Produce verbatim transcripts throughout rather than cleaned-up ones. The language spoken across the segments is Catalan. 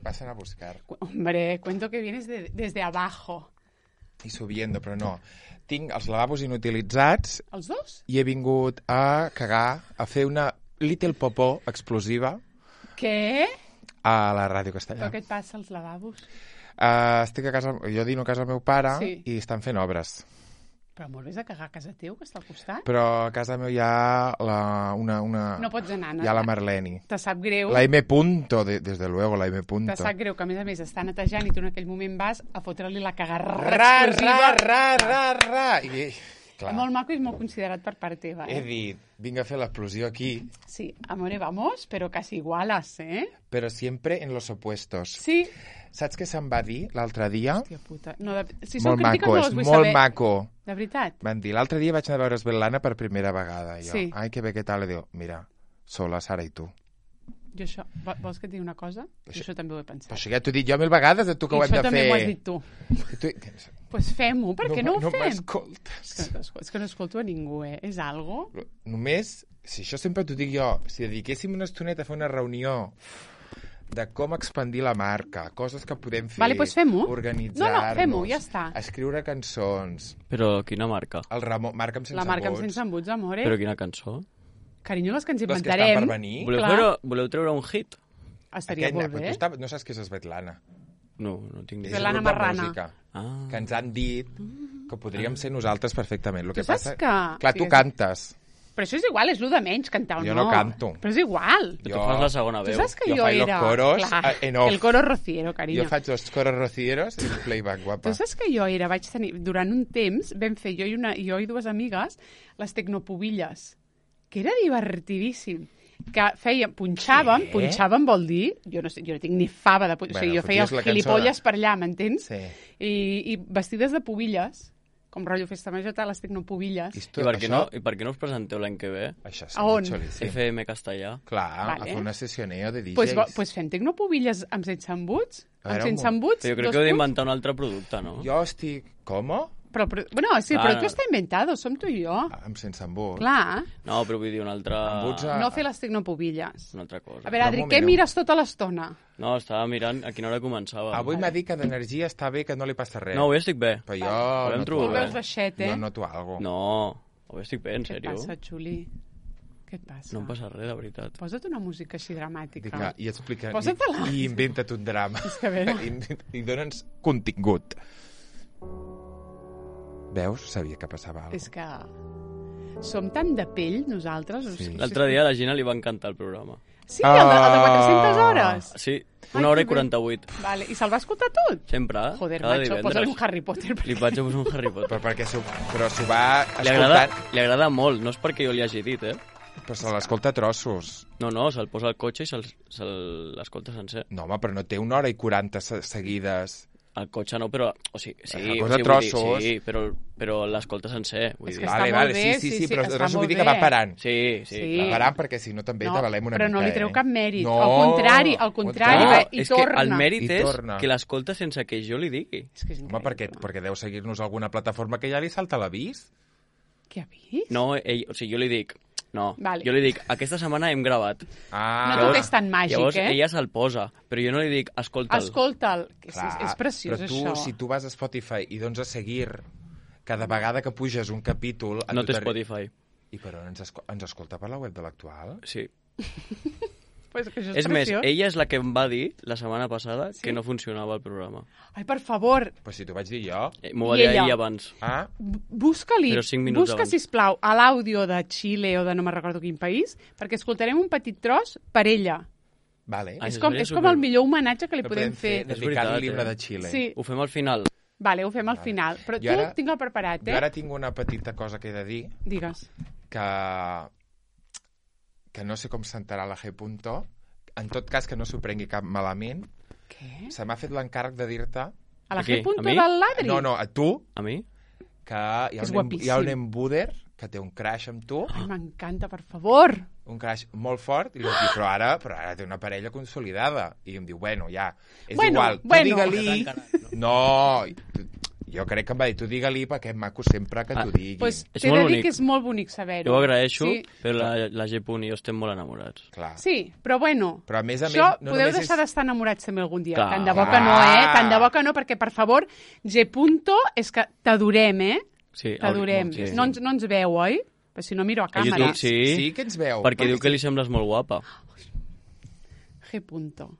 pasan a buscar. Hombre, cuento que vienes de, desde abajo. I subiendo, però no. Tinc els lavabos inutilitzats. Els dos? I he vingut a cagar, a fer una little popó explosiva. Què? A la Ràdio Castellà. Però què et passa als lavabos? Uh, estic a casa, jo dino a casa del meu pare sí. i estan fent obres. Però molt vés a cagar a casa teu, que està al costat? Però a casa meu hi ha la, una, una... No pots anar, no? Hi ha la Marleni. Te sap greu. La M. Punto, de, desde luego, la M. Punto. Te sap greu que, a més a més, està netejant i tu en aquell moment vas a fotre-li la cagarra ra, explosiva. Ra, ra, ra, ra. I, clar. Molt maco i molt considerat per part teva, eh? He dit, vinc a fer l'explosió aquí. Sí, amore, vamos, pero casi igualas, eh? Però sempre en los opuestos. Sí. Saps què se'm va dir l'altre dia? Hòstia puta. No, de... si molt maco, és molt saber. maco. De veritat? Van dir, l'altre dia vaig anar a veure Svetlana per primera vegada. I jo, sí. ai, que bé, què tal? I diu, mira, sola, Sara i tu. Jo això... Vols que et digui una cosa? Això, això també ho he pensat. Però això ja t'ho he dit jo mil vegades, a tu que I ho hem de fer. I això també m'ho has dit tu. tu... Pues fem-ho, per què no, no ho no fem? m'escoltes. És que, és que no escolto a ningú, eh? És algo? Només, si això sempre t'ho dic jo, si dediquéssim una estoneta a fer una reunió de com expandir la marca, coses que podem fer, vale, pues fem-ho. organitzar-nos, no, no, fem-ho, ja està. escriure cançons. Però quina marca? El Ramon, marca amb sense la marca embuts. amb sense embuts, amore. Però quina cançó? Carinyo, les que ens les inventarem. Les que estan per venir. Voleu, treure, voleu treure un hit? Estaria Aquest, molt bé. Tu estava, no saps què és Svetlana? No, no tinc ni idea. Svetlana Marrana. Ah. Que ens han dit que podríem ser nosaltres perfectament. Lo que tu saps passa... que... Clar, tu cantes. Però això és igual, és el de menys, cantar o no. Jo no canto. Però és igual. Jo... Tu fas la segona veu. Tu saps que jo, jo era... los coros Clar, en off. El coro rociero, carinyo. Jo faig els coros rocieros i el playback, guapa. Tu saps que jo era, vaig tenir... Durant un temps vam fer jo i, una, jo i dues amigues les tecnopubilles, que era divertidíssim. Que fèiem, punxàvem, Què? punxàvem vol dir, jo no sé, jo no tinc ni fava de... Bueno, o sigui, jo feia els gilipolles per allà, m'entens? Sí. I, I vestides de pubilles, com rotllo festa major, les tecnopubilles. I, I, per què no, I per què no us presenteu l'any que ve? Això a on? Xolíssim. F M castellà. Clar, vale. a fer una sessioneo de D Js. Pues, pues fem tecnopubilles amb sense embuts? Amb sense embuts? Però jo crec que heu d'inventar un altre producte, no? Jo estic... Com? Però, però, bueno, sí, Clar, però tu està inventado, som tu i jo. Amb sense embuts. Clar. No, però vull dir un altre... Embuts a... No fer les tecnopubilles. Una altra cosa. A veure, Adri, què mires tota l'estona? No, estava mirant a quina hora començava. Avui m'ha dit que d'energia està bé, que no li passa res. No, avui estic bé. Però jo... Volem no trobar Tu veus baixet, eh? Jo noto algo. No, avui estic bé, en Què sèrio. et passa, Xuli? Què et passa? No em passa res, de veritat. Posa't una música així dramàtica. Dic, i explica... Posa-te-la. I, I inventa't un drama. És que a veure... I, i dona'ns contingut. Veus? Sabia que passava alguna cosa. És que som tan de pell, nosaltres. Sí. L'altre dia a la Gina li va encantar el programa. Sí, el de, el de quatre-centes hores. Sí, Ai, una hora que i quaranta-vuit. Vale. I se'l va escoltar tot? Sempre, Joder, cada macho, divendres. posa-li un Harry Potter. Li vaig a posar un Harry Potter. Però perquè s'ho, però s'ho va Li agrada, escoltant... li agrada molt, no és perquè jo li hagi dit, eh? Però se l'escolta a trossos. No, no, se'l posa al cotxe i se'l se l'escolta sencer. No, home, però no té una hora i quaranta se seguides. Al cotxe no, però... O sigui, sí, Una o cosa sigui, trossos. Vull dir, sí, però, però l'escolta sencer. Vull És dir. que està Vale, molt vale, bé, sí, sí, sí, sí, sí, però està trossos vull molt dir que va bé. parant. Sí, sí, Sí. clar. Va parant perquè si no també No, t'avalem una però mica, no li treu eh? cap mèrit. No. Al contrari, al contrari, No, va, i és torna. que el mèrit I és torna. que l'escolta sense que jo li digui. És que és Home, perquè, increïble. perquè deu seguir-nos alguna plataforma que ja li salta l'avís. Què ha vist? No, ell, o sigui, jo li dic... No, Vale. jo li dic, aquesta setmana hem gravat. Ah, No tot és tan màgic, llavors, eh? ella se'l posa, però jo no li dic, escolta'l. Escolta'l. És, clar, és, és preciós, però tu, això. si tu vas a Spotify i dones a seguir cada vegada que puges un capítol... No té tot- Spotify. I però ens, esco ens escolta per la web de l'Actual? Sí. Pues que això és, És més, preciós. ella és la que em va dir la setmana passada Sí? que no funcionava el programa. Ai, per favor, Però si t'ho vaig dir jo. Eh, M'ho va I dir ella? ell abans. Ah, b- busca-li, Però cinc minuts busca, abans. sisplau, a l'àudio de Xile o de no me'n recordo quin país, perquè escoltarem un petit tros per ella. vale. Ai, és això com, seria és com super- el millor homenatge que li No podem fer. És dedicar veritat, l'himne eh? de Xile. Sí. Ho fem al final. Vale, ho fem al final. Però Jo tu ara- tinc el preparat, eh? Jo ara tinc una petita cosa que he de dir, Digues. que, que no sé com sentarà la G. Punto. En tot cas, que no s'ho prengui cap malament. Què? Se m'ha fet l'encàrrec de dir-te... A la A qui? G. Punto A mi? del ladri? No, no, a tu, A mi? que hi ha, És un, em- guapíssim. hi ha un embuder que té un crash amb tu, Ai, m'encanta, per favor. un crash molt fort, i li vaig dir, però ara, però ara té una parella consolidada. I em diu, bueno, ja, és Bueno, igual, tu bueno. digue-li... No, jo crec que em va dir, tu digue-li perquè és maco sempre que Ah, t'ho diguin. Pues És t'he molt de dir bonic. que és molt bonic saber-ho. Jo ho agraeixo, Sí. però la, la G. i jo estem molt enamorats. Clar. Sí, però bueno, Però a més a això més, no podeu només deixar és- d'estar enamorats també algun dia. Clar. Tant de bo que no, eh? Clar. Tant de bo que no, perquè, per favor, G. Punto, és que t'adorem, eh? Sí, T'adorem. sí. No, ens, no ens veu, oi? Però si no miro a A càmera. YouTube sí, Sí que ens veu. perquè diu que li sembles molt guapa. G. Punto.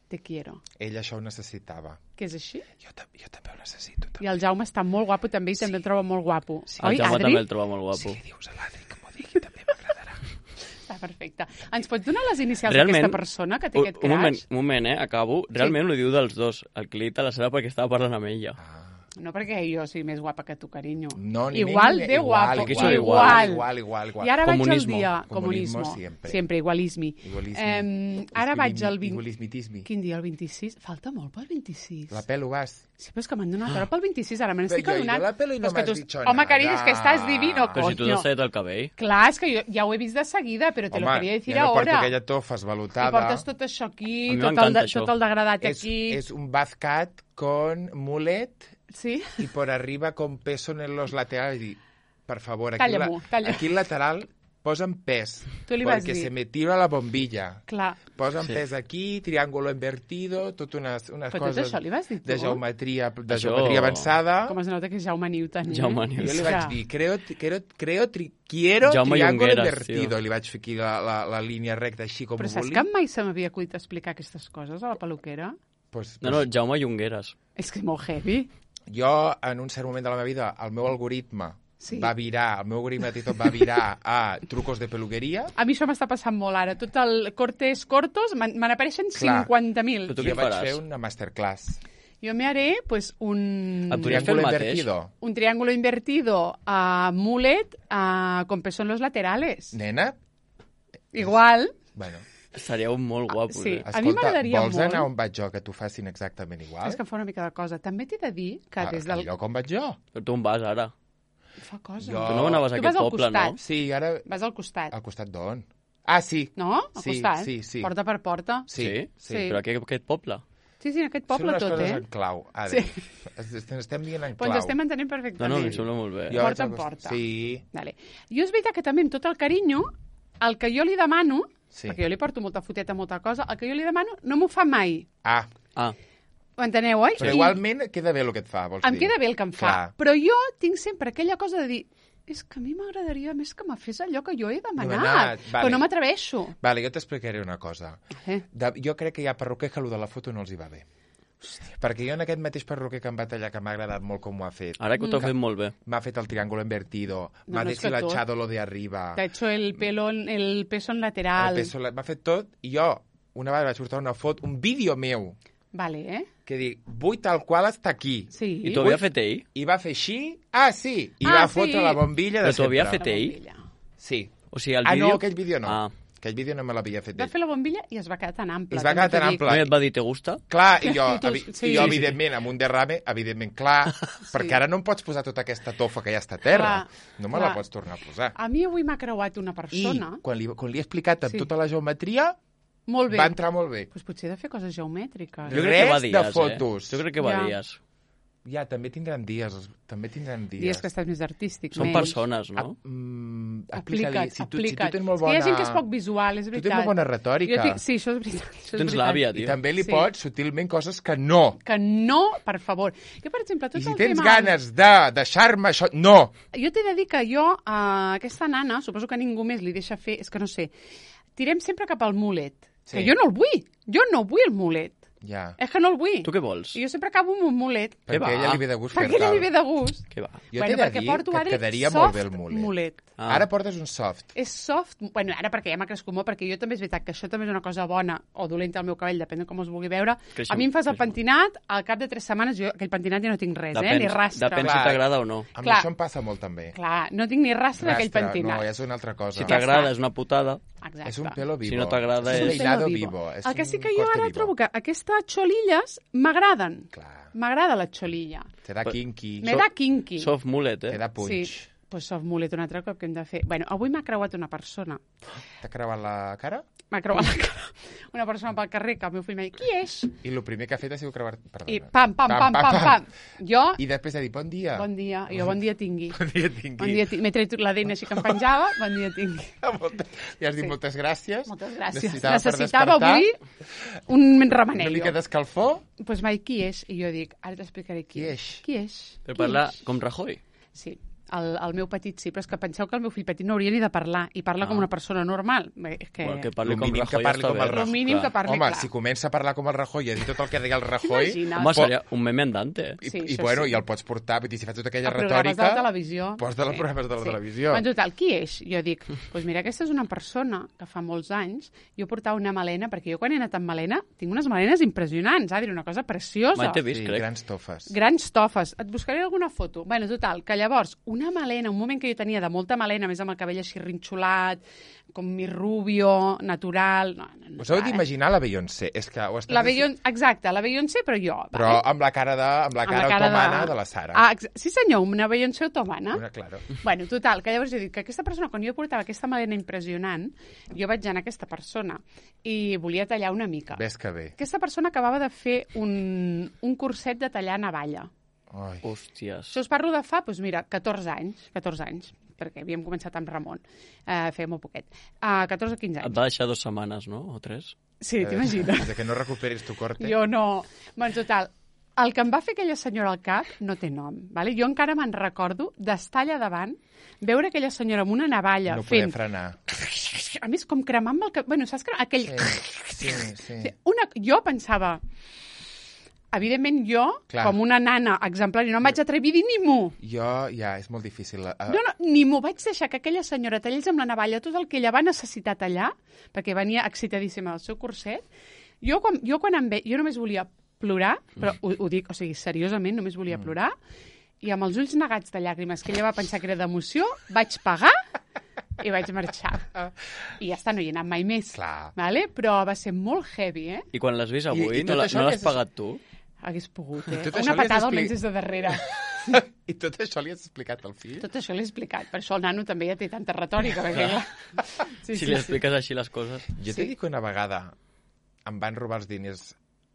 Te quiero. Ell això ho necessitava. Que és així? Jo, ta jo també ho necessito. I el Jaume està molt guapo també i també el troba molt guapo. El Oi, Jaume Adri? també el troba molt guapo. Si li dius a l'Adri que m'ho digui, també m'agradarà. Està perfecte. Ens pots donar les inicials Realment, d'aquesta persona que té un, aquest un moment, crash? un moment, eh? Acabo. Realment ho diu dels dos. El clit a la sala perquè estava parlant amb ella. No perquè jo sigui més guapa que tu, carinyo. No, ni igual menys, de guapo. que Igual, sou igual, igual, igual, igual. I ara vaig al Comunismo. dia... Comunismo Comunismo. siempre. Siempre, igualismi. Igualisme. Eh, ara vaig al vint... Igualismitismi. Quin dia, el vint-i-sis? Falta molt pel vint-i-sis. La pelo vas. Sí, però és que m'han donat hora pel vint-i-sis, ara me n'estic Però jo- jo adonant. la pelo i no Però és que m'has tu- dicho Home, nada. carinyo, és que estàs divino, Però si tu coño. t'has tallat el cabell. Clar, és que jo ja ho he vist de seguida, però te lo quería decir ja no porto ahora. aquella tofa I esvalotada. portes tot això aquí, A mi tot el, m'encanta de, això. tot el degradat és, aquí. és un bazcat con mulet Sí? y por arriba con peso en los laterales. Y, por favor, aquí, Calla-m'ho, la, calla. aquí el lateral posa'm pes. Tu li vas Perquè dir. se me tira la bombilla. Clar. Posa'm Sí. pes aquí, triángulo invertido, tot unes, unes Però tot coses això li vas dir tu? de geometria, de Això- geometria avançada. Com es nota que és Jaume Newton, eh? Jaume I Newton. jo li És vaig que- dir, creo, creo, creo tri, quiero Jaume triángulo Llongueras, invertido. tio. I li vaig fer aquí la, la, la línia recta així com Però ho saps volia. que mai se m'havia acudit explicar aquestes coses a la peluquera? Pues, No, no, Jaume Llongueras. És que és molt heavy. Jo, en un cert moment de la meva vida, el meu algoritme Sí. va virar, el meu algoritme de TikTok va virar a trucos de peluqueria. A mi això m'està passant molt ara. Tot el cortes cortos, me me n'apareixen Clar. cinquanta mil. Però tu Jo què vaig faràs? fer una masterclass. Jo me haré pues, un, Et podries fer el Triángulo mateix? invertido. un triángulo invertido a mullet a, con peso en los laterales. Nena, Igual. bueno, Ah, Estaríeu molt guapos, sí. eh? A mi m'agradaria vols molt. anar on vaig jo que t'ho facin exactament igual? És que em fa una mica de cosa. També t'he de dir que Ah, des al del... lloc on vaig jo? Però tu on vas ara? Fa cosa. Jo- Tu no anaves a Tu aquest vas al poble, costat. no? Sí, ara... Vas al costat. Al costat d'on? Ah, sí. No? Al Sí, costat. sí, sí. Porta per porta. Sí, Sí? sí. Sí. Però aquí, aquest poble? Sí, sí, en aquest Són poble unes tot, coses eh? en clau. Ara, Sí. sí. Estem dient en Però clau. ens estem entenent No, perfectament. no, em sembla molt bé. Jo porta vaig en al- porta. Sí. Vale. Jo és veritat que també amb tot el carinyo, el que jo li demano, Sí. perquè jo li porto molta foteta, molta cosa, el que jo li demano no m'ho fa mai. Ah, Ah, Ho enteneu, oi? però I igualment queda bé el que et fa, vols em dir? queda bé el que em fa. Clar. Però jo tinc sempre aquella cosa de dir és que a mi m'agradaria més que me fes allò que jo he demanat, Demanat, vale. però no m'atreveixo. Vale, jo t'explicaré una cosa. Eh? De, jo crec que hi ha perruquer que allò de la foto no els hi va bé. Hòstia. Perquè jo en aquest mateix perruquer que em va tallar, que m'ha agradat molt com ho ha fet, ara que ho t'ho fet molt bé. m'ha fet el triángulo invertido, No, m'ha no, és que deshilachado lo de arriba, T'ha hecho el pelo, en- el peso en lateral. el peso, la- m'ha fet tot, i jo una vegada vaig portar una foto, un vídeo meu, Vale, eh? que dic, vull tal qual està aquí. Sí. I t'ho havia fet ell? I va fer així, ah, sí, i Ah, va sí. fotre la bombilla de Però t'ho havia sempre. fet ell? bombilla. Sí. O sigui, el Ah, vídeo... no, aquell vídeo no. Ah. Aquell vídeo no me l'havia fet Va ell. fer la bombilla i es va quedar tan ample. I es va també quedar t'ho tan dic. ample. No, i et va dir, te gusta? Clar, i jo, I tu- evi sí, i jo sí, evidentment, amb un derrame, evidentment, clar, perquè ara no em pots posar tota aquesta tofa que ja està a terra. Clar, no me clar. la pots tornar a posar. A mi avui m'ha creuat una I persona... quan li, quan li he explicat amb Sí. tota la geometria, Molt bé. va entrar molt bé. Pues potser he de fer coses geomètriques. Jo Jo crec que va Res de dies, fotos. eh? Jo crec que va Ja. dies. Ja, també tindran dies, també tindran dies. Dies que estàs més artístic, Són menys. persones, Ah, no? mm, Aplica't, explica-li. Si tu, si tu aplica't. tens molt És que bona... hi ha gent que és poc visual, és Tu veritat. tens molt bona retòrica. Jo tinc... Sí, això és veritat. Això Tu és tens veritat. l'àvia, I tio. també li Sí. pots, sutilment, coses que no. Que no, per favor. Jo, per exemple, tot I si el tens tema... ganes de deixar-me això... No! Jo t'he de dir que jo, a aquesta nana, suposo que ningú més li deixa fer, és que no sé, tirem sempre cap al mulet. Sí. Que jo no el vull. Jo no vull el mulet. Ja. És que no el vull. Tu què vols? I jo sempre acabo amb un mulet. Què Perquè va? a ella li ve de gust Perquè fer-te'l. ella li ve de gust. Què va? Jo bueno, t'he de perquè dir porto, que et Adri, quedaria soft molt bé el mulet. mulet. Ah. Ara portes un soft. És soft, bueno, ara perquè ja m'ha crescut molt, perquè jo també és veritat que això també és una cosa bona o dolenta al meu cabell, depèn de com es vulgui veure. Creixem, a mi em fas el creixem. pentinat, al cap de tres setmanes jo aquell pentinat ja no tinc res, eh? Ni rastre. depèn si Clar. t'agrada o no. A mi Clar. això em passa molt també. Clar, no tinc ni rastre d'aquell Rastre, pentinat. no, és una altra cosa. Si Ja t'agrada està. és una putada. Exacte. És un pelo vivo. Si no t'agrada és un és- peinado Pelo vivo. És el que sí un que jo corte ara vivo. trobo que aquestes xolilles m'agraden. Clar. M'agrada la xolilla. Te da kinky. Me da kinky. Soft mullet, eh? Te da punch. Sí. pues som mulet un altre cop que hem de fer. Bueno, avui m'ha creuat una persona. T'ha creuat la cara? M'ha creuat la cara. Una persona pel carrer que el meu fill m'ha dit, qui és? I el primer que ha fet ha sigut creuar... Perdona. I pam, pam, pam, pam, pam, pam. Jo... I després ha dit, bon dia. Bon dia. I jo, bon dia tingui. Bon dia tingui. Bon dia tingui. M'he tret l'A D N així que em penjava. Bon dia tingui. I has dit Sí. moltes gràcies. Moltes gràcies. Necessitava, Necessitava per avui un remenello. una mica d'escalfor. Doncs pues m'ha dit, qui és? I jo dic, ara t'explicaré qui, Qui és? Qui és? Per Qui parlar és? com Rajoy. Sí. El, el meu petit sí, però és que penseu que el meu fill petit no hauria ni de parlar, i parla Ah. com una persona normal. Bé, és que... Bueno, que parli Lo com mínim que Rajoy parli està com bé. el Rajoy. Lo mínim que parli, Home, clar. si comença a parlar com el Rajoy i a dir tot el que deia el Rajoy... T'imagines? Home, po- seria un meme andante. I, Sí, i, això bueno, sí. i el pots portar, vull dir, si fa tota aquella a programes retòrica... de la televisió. Pots de les programes de la sí. televisió. En total, qui és? Jo dic, doncs pues mira, aquesta és una persona que fa molts anys jo portava una melena, perquè jo quan he anat amb melena tinc unes melenes impressionants, eh? Dir una cosa preciosa. Mai t'he vist, Sí, crec. grans tofes. Grans tofes. Et buscaré alguna foto. Bueno, total, que llavors, una melena, un moment que jo tenia de molta melena, més amb el cabell així rinxolat, com mi rubio, natural... No, no, no, Us heu clar, eh? d'imaginar la Beyoncé. És que ho estàs La Beyoncé, exacte, la Beyoncé, però jo. Però vale? amb la cara, de, amb la Amb cara, otomana de... de la Sara. Ah, ex- sí senyor, una Beyoncé otomana. Una, claro. Bueno, total, que llavors jo dic que aquesta persona, quan jo portava aquesta melena impressionant, jo vaig anar a aquesta persona i volia tallar una mica. Ves que bé. Aquesta persona acabava de fer un, un curset de tallar navalla. Ai. Hòsties. Això us parlo de fa, doncs mira, catorze anys, catorze anys, perquè havíem començat amb Ramon, eh, feia molt poquet, uh, catorze o quinze Et anys. va deixar dues setmanes, no? O tres? Sí, t'imagines? Eh, de que no recuperis tu corte. Jo no... Bueno, total, el que em va fer aquella senyora al cap no té nom, vale? Jo encara me'n recordo d'estar allà davant, veure aquella senyora amb una navalla No poder fent... frenar. A més, com cremant-me el cap... Bueno, saps que aquell... Sí, sí, sí. Una... Jo pensava... Evidentment, jo, Clar. com una nana exemplar, no em vaig atrevir a dir ni mu. Jo, ja, és molt difícil. Uh, No, no, ni m'ho vaig deixar que aquella senyora tallés amb la navalla tot el que ella va necessitar tallar, perquè venia excitadíssima del seu curset. Jo, quan, jo, quan em ve... Jo només volia plorar, però ho, ho dic, o sigui, seriosament, només volia plorar, i amb els ulls negats de llàgrimes, que ella va pensar que era d'emoció, vaig pagar i vaig marxar. I ja està, no hi he anat mai més. Clar. Vale? Però va ser molt heavy, eh? I quan l'has vist avui, I- i tot no la- això no que l'has és- pagat tu? Hagués pogut, eh? Tot això Una li has patada expli- almenys des de darrere. I tot això li has explicat al fill? Tot això l'he explicat. Per això el nano també ja té tanta retòrica. Perquè, clar... Sí, Si li expliques així les coses. Jo Sí. t'he dit que una vegada em van robar els diners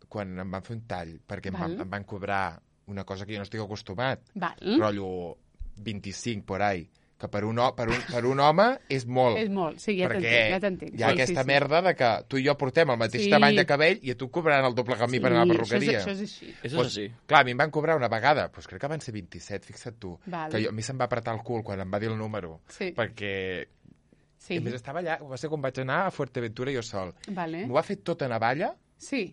quan em van fer un tall, perquè em van, Val. em van cobrar una cosa que jo no estic acostumat, Val. rotllo vint-i-cinc por ahí, que per un, ho- per un, per un home és molt. És molt, sí, ja perquè t'entenc, ja t'entenc. hi ha Sí, aquesta sí, sí. merda de que tu i jo portem el mateix Sí. tamany de cabell i a tu cobraran el doble que a mi per anar a la perruqueria. Això és, això és així. Això és Pues, així. Clar, a mi em van cobrar una vegada, doncs crec que van ser vint-i-set, fixa't tu. Val. Que jo, a mi se'm va apretar el cul quan em va dir el número. Sí. Perquè... Sí. A més, estava allà, va ser quan vaig anar a Fuerteventura jo sol. Vale. M'ho va fer tot a navalla Sí,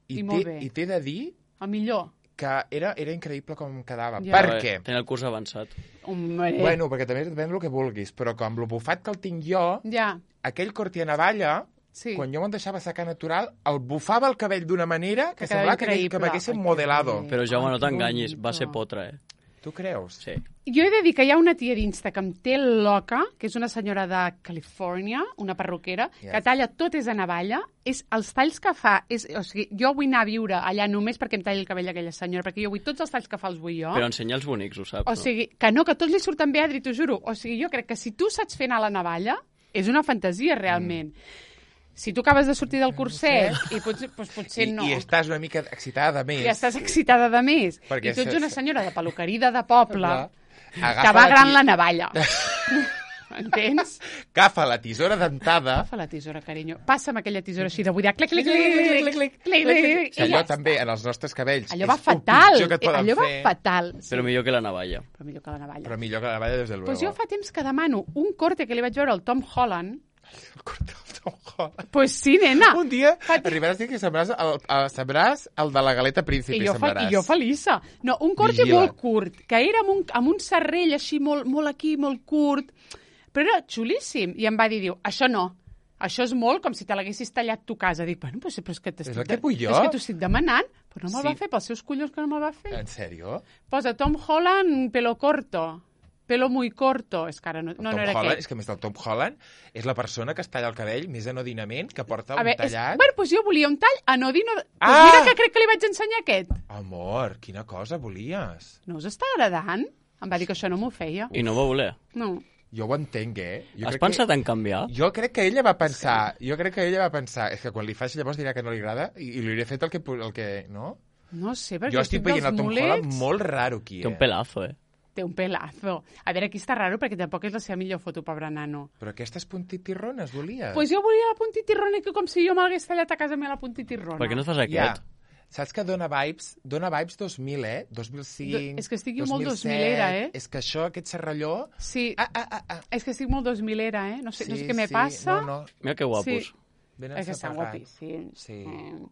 i I molt t'he bé. i t'he de dir el millor. que era, era increïble com quedava. Ja. Per Però, què? eh, Tenia el curs avançat. Hombre. Bueno, perquè també depèn del que vulguis, però com el bufat que el tinc jo, Ja, aquell corti a navalla, sí. quan jo me'n deixava secar natural, el bufava el cabell d'una manera que, Que quedava semblava que, que increïble. m'haguessin Ai, que modelado. bé. Però, Jaume, Ai, no que t'enganyis, va bonito. ser potra, eh? Tu creus? Sí. Jo he de dir que hi ha una tia d'Insta que em té loca, que és una senyora de Califòrnia, una perruquera, Yes. que talla tot és a navalla, és els talls que fa, és, o sigui, jo vull anar a viure allà només perquè em talli el cabell aquella senyora, perquè jo vull tots els talls que fa els vull jo. Però ensenya els bonics, ho saps, O sigui, que no, que tots li surten bé, Adri, t'ho juro. O sigui, jo crec que si tu saps fer anar la navalla, és una fantasia, realment. Mm. Si tu acabes de sortir del curset, i potser, doncs potser I, no. I estás una mica excitada de més. I estàs excitada de més. Perquè I tu ets se- una senyora de peluqueria de poble Clar. que Agafa va gran ti- la navalla. Entens? Agafa la tisora dentada. Agafa la tisora, carinyo. Passa'm aquella tisora així de buidar. Clic, clic, clic, clic, clic, clic, clic, clic, Si allò també, en els nostres cabells, Allò és va el fatal. pitjor que et poden Allò va fer. fatal. Sí. Però millor que la navalla. Però millor que la navalla. Però millor que la navalla, des de luego. Pues jo fa temps que demano un corte que li vaig veure al Tom Holland. El corte del Tom Holland. Pues sí, nena. Un dia Fa- arribaràs a dir que sembràs el, el, sembràs el de la galeta príncipe. I jo, fa, semblaràs. I jo feliça. No, un corte Vigila. molt curt, que era amb un, amb un serrell així molt, molt aquí, molt curt, però era xulíssim. I em va dir, diu, això no, això és molt com si te l'haguessis tallat tu a casa. Dic, bueno, pues, però és que t'estic És el que de- vull jo. És que t'ho estic demanant, però no me'l Sí. va fer, pels seus collons que no me'l va fer. En sèrio? Posa Tom Holland, pelo corto, pelo muy corto. És que ara no, no, Tom no era Holland, aquest. és que a més del Tom Holland és la persona que es talla el cabell més anodinament, que porta A un veure, és, tallat. bueno, doncs jo volia un tall anodino. Doncs Ah! mira que crec que li vaig ensenyar aquest. Amor, quina cosa volies? No us està agradant? Em va dir que això no m'ho feia. I no va voler. No. Jo ho entenc, eh? Jo Has crec pensat que... en canviar? Jo crec que ella va pensar... Sí. Jo crec que ella va pensar... És que quan li faci llavors dirà que no li agrada i, i li hauré fet el que... El que no? No sé, perquè jo estic veient el Tom mulets... Holland molt raro aquí, eh? Té un pelazo, eh? Té un pelazo. A veure, aquí està raro perquè tampoc és la seva millor foto, pobre nano. Però aquestes puntitirrones volies? Pues jo volia la puntitirrona que com si jo m'hagués tallat a casa meva la puntitirrona. Per què no fas aquest? Ja. Saps que dona vibes, dona vibes dos mil, eh? dos mil cinc, Do, és que estic jo dos mil set, molt dos milera, eh? És que això, aquest serralló... Sí, ah, ah, ah, ah. és que estic molt dos milera, eh? No sé, sí, no sé què me sí. passa. No, no. Mira que guapos. Sí. Ben és que estan ensaperrats. guapíssims. Sí. Mm.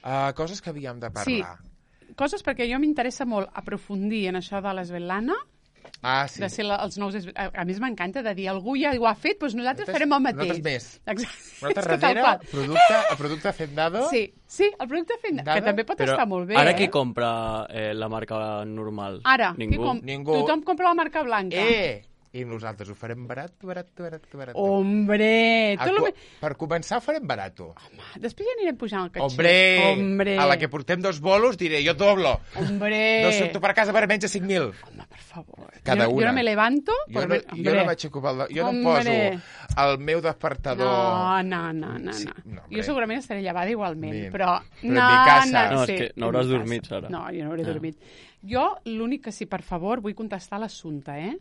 Uh, coses que havíem de parlar. Sí, coses perquè jo m'interessa molt aprofundir en això de l'Esvetlana, Ah, sí. de ser la, els nous... A, a més, m'encanta de dir, algú ja ho ha fet, doncs nosaltres, Nosaltres- farem el mateix. nosaltres més. Exacte. Nosaltres És que tal darrere, qual. producte, el producte Fendado... Sí, sí, el producte fent... Dada, que també pot Però estar molt bé, ara eh? qui compra eh, la marca normal? Ara, Ningú. qui com... Ningú. tothom compra la marca blanca. Eh! I nosaltres ho farem barat, barat, barat, barat. Hombre! A Tot lo... cu- me- Per començar ho farem barato. Després ja anirem pujant el caché. Hombre! Hombre! A la que portem dos bolos diré, jo doblo. Hombre! No surto per casa per menys de cinc mil. Home, per favor. Cada jo, una. Jo no me levanto... Jo por no, ver- jo hombre. no vaig ocupar el... Jo no em Hombre. poso el meu despertador... No, no, no, no. Sí, no. no, hombre. jo segurament estaré llevada igualment, Bien. però... Però en no, mi casa. No, No, és sí, que no en hauràs mi dormit, casa. Sara. No, jo no hauré Ah. dormit. Jo, l'únic que sí, per favor, vull contestar l'assumpte, eh?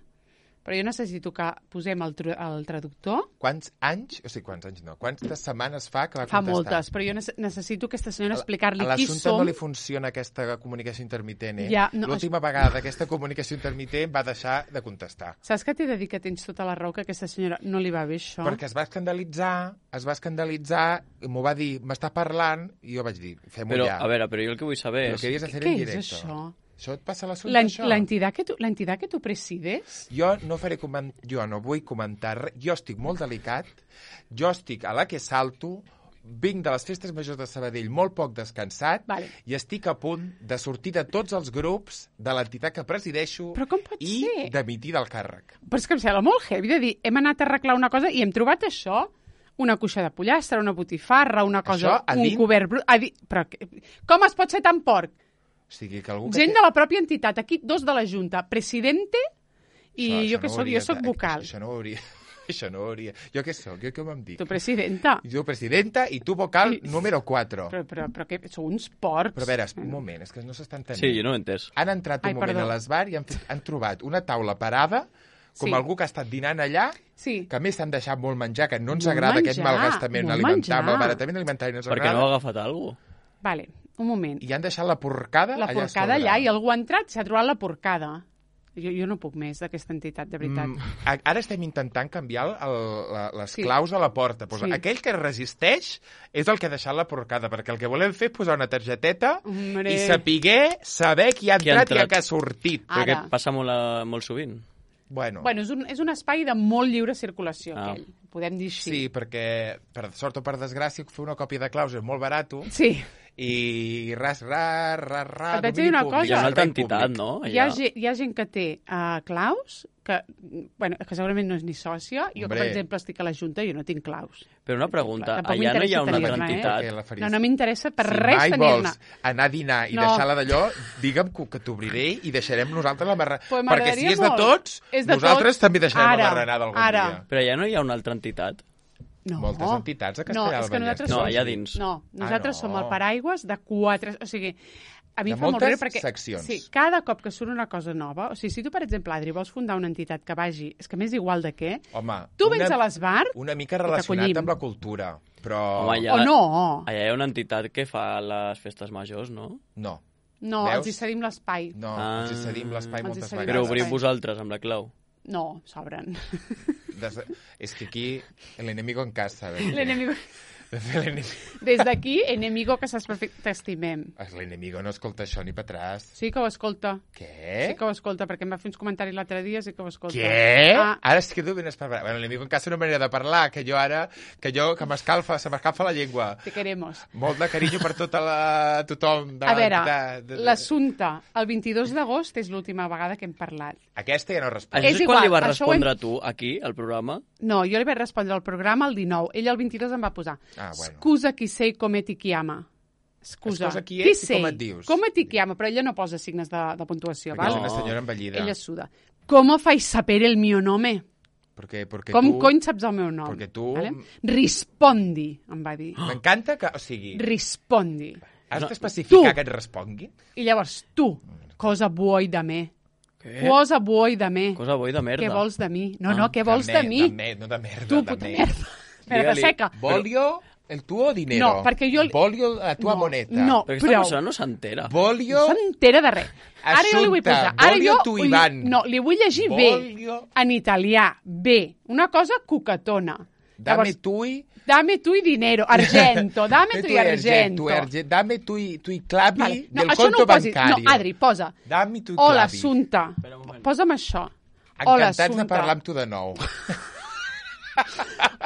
Però jo necessito que posem el, tru- el traductor. Quants anys, o sigui, quants anys no, quantes setmanes fa que va Fa contestar? moltes, però jo nece- necessito aquesta senyora explicar-li A qui l'assumpte som. no li funciona aquesta comunicació intermitent, eh? Ja, no, L'última vegada d'aquesta comunicació intermitent va deixar de contestar. Saps que t'he de dir que tens tota la raó, que a aquesta senyora no li va bé això? Perquè es va escandalitzar, es va escandalitzar, i m'ho va dir, m'està parlant, i jo vaig dir, fem-ho Però, ja. a veure, però jo el que vull saber Lo és... querías hacer Què en és directo. això? Això et passa a l'assumpte, La, això? la, entidad que tu, la entidad que tu presides? Jo no faré coment... jo no vull comentar res. Jo estic molt delicat, jo estic a la que salto, vinc de les festes majors de Sabadell molt poc descansat Vale. i estic a punt de sortir de tots els grups de l'entitat que presideixo Però com pot i ser? d'emitir del càrrec. Però és que em sembla molt heavy de dir, hem anat a arreglar una cosa i hem trobat això, una cuixa de pollastre, una botifarra, una cosa, Això, a un dins- cobert brut... A di... Però que... com es pot ser tan porc? O sigui, que algú que Gent té- de la pròpia entitat, aquí dos de la Junta, presidente i Això- jo això que no sóc, hauria jo sóc de- vocal. Això no ho hauria... Això no ho hauria... Jo què sóc? Jo com em dic? Tu presidenta. Jo presidenta i tu vocal I- número quatre. Però, però, però que sou uns porcs. Però a veure, un moment, és que no s'està entenent. Sí, jo no ho he entès. Han entrat un Ai, moment perdó. a l'esbar i han, fet, han trobat una taula parada, com Sí. algú que ha estat dinant allà, Sí. que a més s'han deixat molt menjar, que no ens Molt agrada aquest menjar, malgastament molt alimentari, menjar. malbaratament alimentari no ens Perquè agrada, no ha agafat alguna cosa. Vale, un moment. i han deixat la porcada La allà a porcada sobre. allà i algú ha entrat, s'ha trobat la porcada. Jo, jo no puc més d'aquesta entitat, de veritat. Mm, a- ara estem intentant canviar el, la, les Sí. claus a la porta. Pues Sí. Aquell que resisteix és el que ha deixat la porcada, perquè el que volem fer és posar una targeteta Hombre. i sapiguer, saber qui ha Qui ha entrat i entrat. qui ha sortit. Ara. Perquè passa molt, a, molt sovint. Bueno, Bueno, és un, és un espai de molt lliure circulació, Ah. aquell. Podem dir així. sí, perquè per sort o per desgràcia fer una còpia de claus és molt barat Sí. i ras, ras, ras, ras, Et vaig domini dir una públic, cosa. Hi ha una altra servei entitat, públic. no? Hi ha, Allà. gent, hi ha gent que té uh, claus, que, bueno, que segurament no és ni sòcia. Jo, Hombre. per exemple, estic a la Junta i jo no tinc claus. Però una pregunta, Tampoc allà no hi ha m'interessa una altra tenir-ne, eh? entitat? Perquè la faries- No, no m'interessa per si res mai tenir-ne. vols anar a dinar i No. deixar-la d'allò, digue'm que, que t'obriré i deixarem nosaltres la barra... Pues perquè si m'agradaria és de molt. tots, És de nosaltres tots. també deixarem Ara, la barrenada algun ara. dia. Però allà no hi ha una altra entitat? No. Moltes entitats a No, Castellar és que del Vallès. nosaltres No, som... allà dins. No, nosaltres Ah, no. som el paraigües de quatre... O sigui, a mi De em fa molt moltes riure perquè... seccions. Sí, cada cop que surt una cosa nova... O sigui, si tu, per exemple, Adri, vols fundar una entitat que vagi... És que m'és igual de què... Home, Tu una, vens a l'esbar... una mica i relacionat t'acollim. amb la cultura, però... Home, allà, O no! allà hi ha una entitat que fa les festes majors, no? No, No, Veus? els hi cedim l'espai. no, Ah. ens hi cedim l'espai Ens hi moltes cedim Però vegades. obriu l'espai. vosaltres amb la clau. No, s'obren. Des de... És que aquí el enemigo en casa. ¿ves? L'enemigo... De fer l'enemigo. Des d'aquí, enemigo que saps perfecte, t'estimem. L'enemigo no escolta això ni per atràs. Sí que ho escolta. Què? Sí que ho escolta, perquè em va fer uns comentaris l'altre dia, sí que ho escolta. Què? Ah, Ara es quedo ben esperat. Bueno, l'enemigo en casa no manera de parlar, que jo ara, que jo, que m'escalfa, se m'escalfa la llengua. te queremos. Molt de carinyo per tota la... tothom. De, A veure, de, de, de... l'assumpte, el vint-i-dos d'agost és l'última vegada que hem parlat. Aquesta ja no respon. Això És és quan li igual, vas això ho hem- respondre tu, aquí, al programa? No, jo li vaig respondre al programa el dinou. Ell el vint-i-dos em va posar Ah, bueno. Scusa chi sei come ti chiama. Scusa, Scusa, qui chi ets i sei? com et dius? Come ti chiamo? Però ella no posa signes de, de puntuació, Perquè val? és una senyora envellida. Ella suda. ¿Cómo fai sapere el mio nome? Perquè, perquè Com tu... cony saps el meu nom? Perquè tu... Vale? Rispondi, em va dir. M'encanta que... O sigui, Rispondi. has d'especificar Tu. que et respongui? I llavors, tu, cosa vuoi de me? Què? Cosa vuoi de me? Cosa vuoi de merda. Què vols de mi? No, Ah, no, què vols de, de me- mi? De me, no de merda, Tu, de puta me. merda. Espera, Digue-li. seca. Voglio el tuo dinero. No, perquè jo... Voglio la tua no, moneta. No, Però aquesta prou. persona no s'entera. Voglio... No s'entera de res. Ara jo li vull Assumpta, posar. Ara voglio jo tu, li- Ivan. No, li vull llegir bé. Voglio... En italià, bé. Una cosa cucatona. Dame tu i... Dame tu i dinero. Argento. Dame tu i argento. argento. Dame tu i, tu i clavi Vale. No, del això no conto ho posis. bancario. No, Adri, posa. Dammi tu i Hola, clavi. Assunta. Espera un moment. Posa'm això. Hola, Encantats de Assunta. parlar amb tu de nou.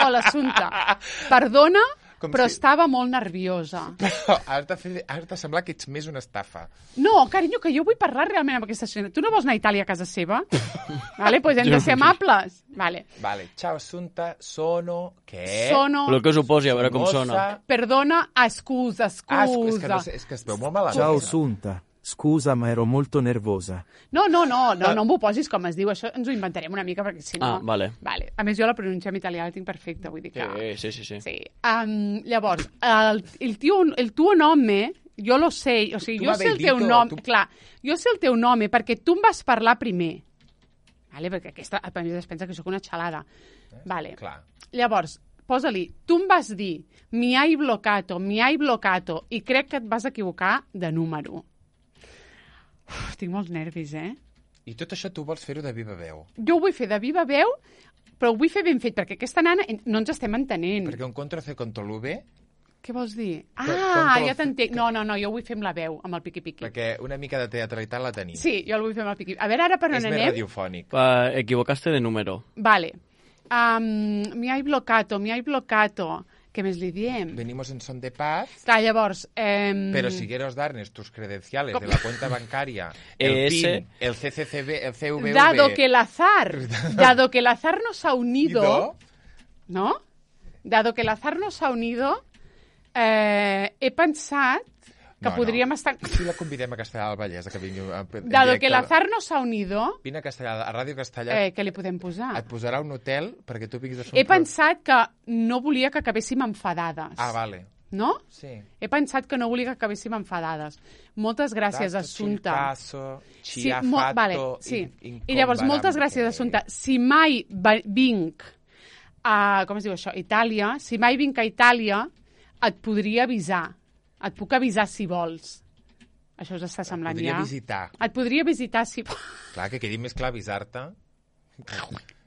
Hola, Assunta. Perdona, Com però si- estava molt nerviosa. Però has de, fer, has de semblar que ets més una estafa. No, carinyo, que jo vull parlar realment amb aquesta senyora. Tu no vols anar a Itàlia a casa seva? Vale, pues hem de ser amables. Vale. Vale, ciao Assunta, sono... Què? Sono... Però que us ho posi, a veure com Mossa. sona. Perdona, ah, scusa, Ah, és, és, que scusa. no, sé, és que es veu molt malament. Ciao Assunta, scusa ma ero molto nervosa. No, no, no, no, no m'ho posis com es diu. Això ens ho inventarem una mica, perquè si no... Ah, vale. Vale. A més, jo la pronuncia en italià la tinc perfecta, vull dir que... Sí, sí, sí. sí. Sí. Um, llavors, el, el, tio, el tuo nome, jo lo sé, o sigui, Tu jo sé el m'aveis teu dit, nom, tu- clar, jo sé el teu nome perquè tu em vas parlar primer. Vale? Perquè aquesta, a mi es pensa que sóc una xalada. Vale. Clar. Llavors, posa-li, tu em vas dir mi hai bloccato, mi hai bloccato, i crec que et vas equivocar de número. Uf, tinc molts nervis, eh? I tot això tu vols fer-ho de viva veu. Jo ho vull fer de viva veu, però ho vull fer ben fet, perquè aquesta nana no ens estem entenent. Perquè un contra C contra l'U B, Què vols dir? Com- Ah, com ja que- t'entenc. No, no, no, jo ho vull fer amb la veu, amb el piqui-piqui. perquè una mica de teatralitat la tenim. Sí, jo el vull fer amb el piqui-piqui. A veure, ara per on És més anem? radiofònic. Pa, equivocaste de número. Vale. Um, mi hai bloccato, mi hai bloccato. Què més li diem? Venimos en son de paz, Clar, llavors... Eh, pero si quieres darnos tus credenciales de la cuenta bancaria, el E S. PIN, el C C C B, el C V V... Dado que el azar, dado que el azar nos ha unido, Ido, ¿no? Dado que el azar nos ha unido, eh, he pensat que No, no. podríem estar... Si la convidem a Castellà del Vallès, a que vingui... a- en Dado directe, que el azar nos ha unido, Vine a Castellà, a Ràdio Castellà, eh, què li podem posar? et posarà un hotel perquè tu vinguis a fer un He pro- pensat que no volia que acabéssim enfadades. Ah, vale. No? Sí. He pensat que no volia que acabéssim enfadades. Moltes gràcies, Dato Assunta. il caso, ci Sí, ha mo- fatto vale, sí. in- I llavors, moltes gràcies, incomparable. Assunta. Si mai va- vinc a... Com es diu això? Itàlia. Si mai vinc a Itàlia, et podria avisar. Et puc avisar si vols. Això us està semblant Podria ja? visitar. Et podria visitar si vols. Clar, que quedi més clar avisar-te.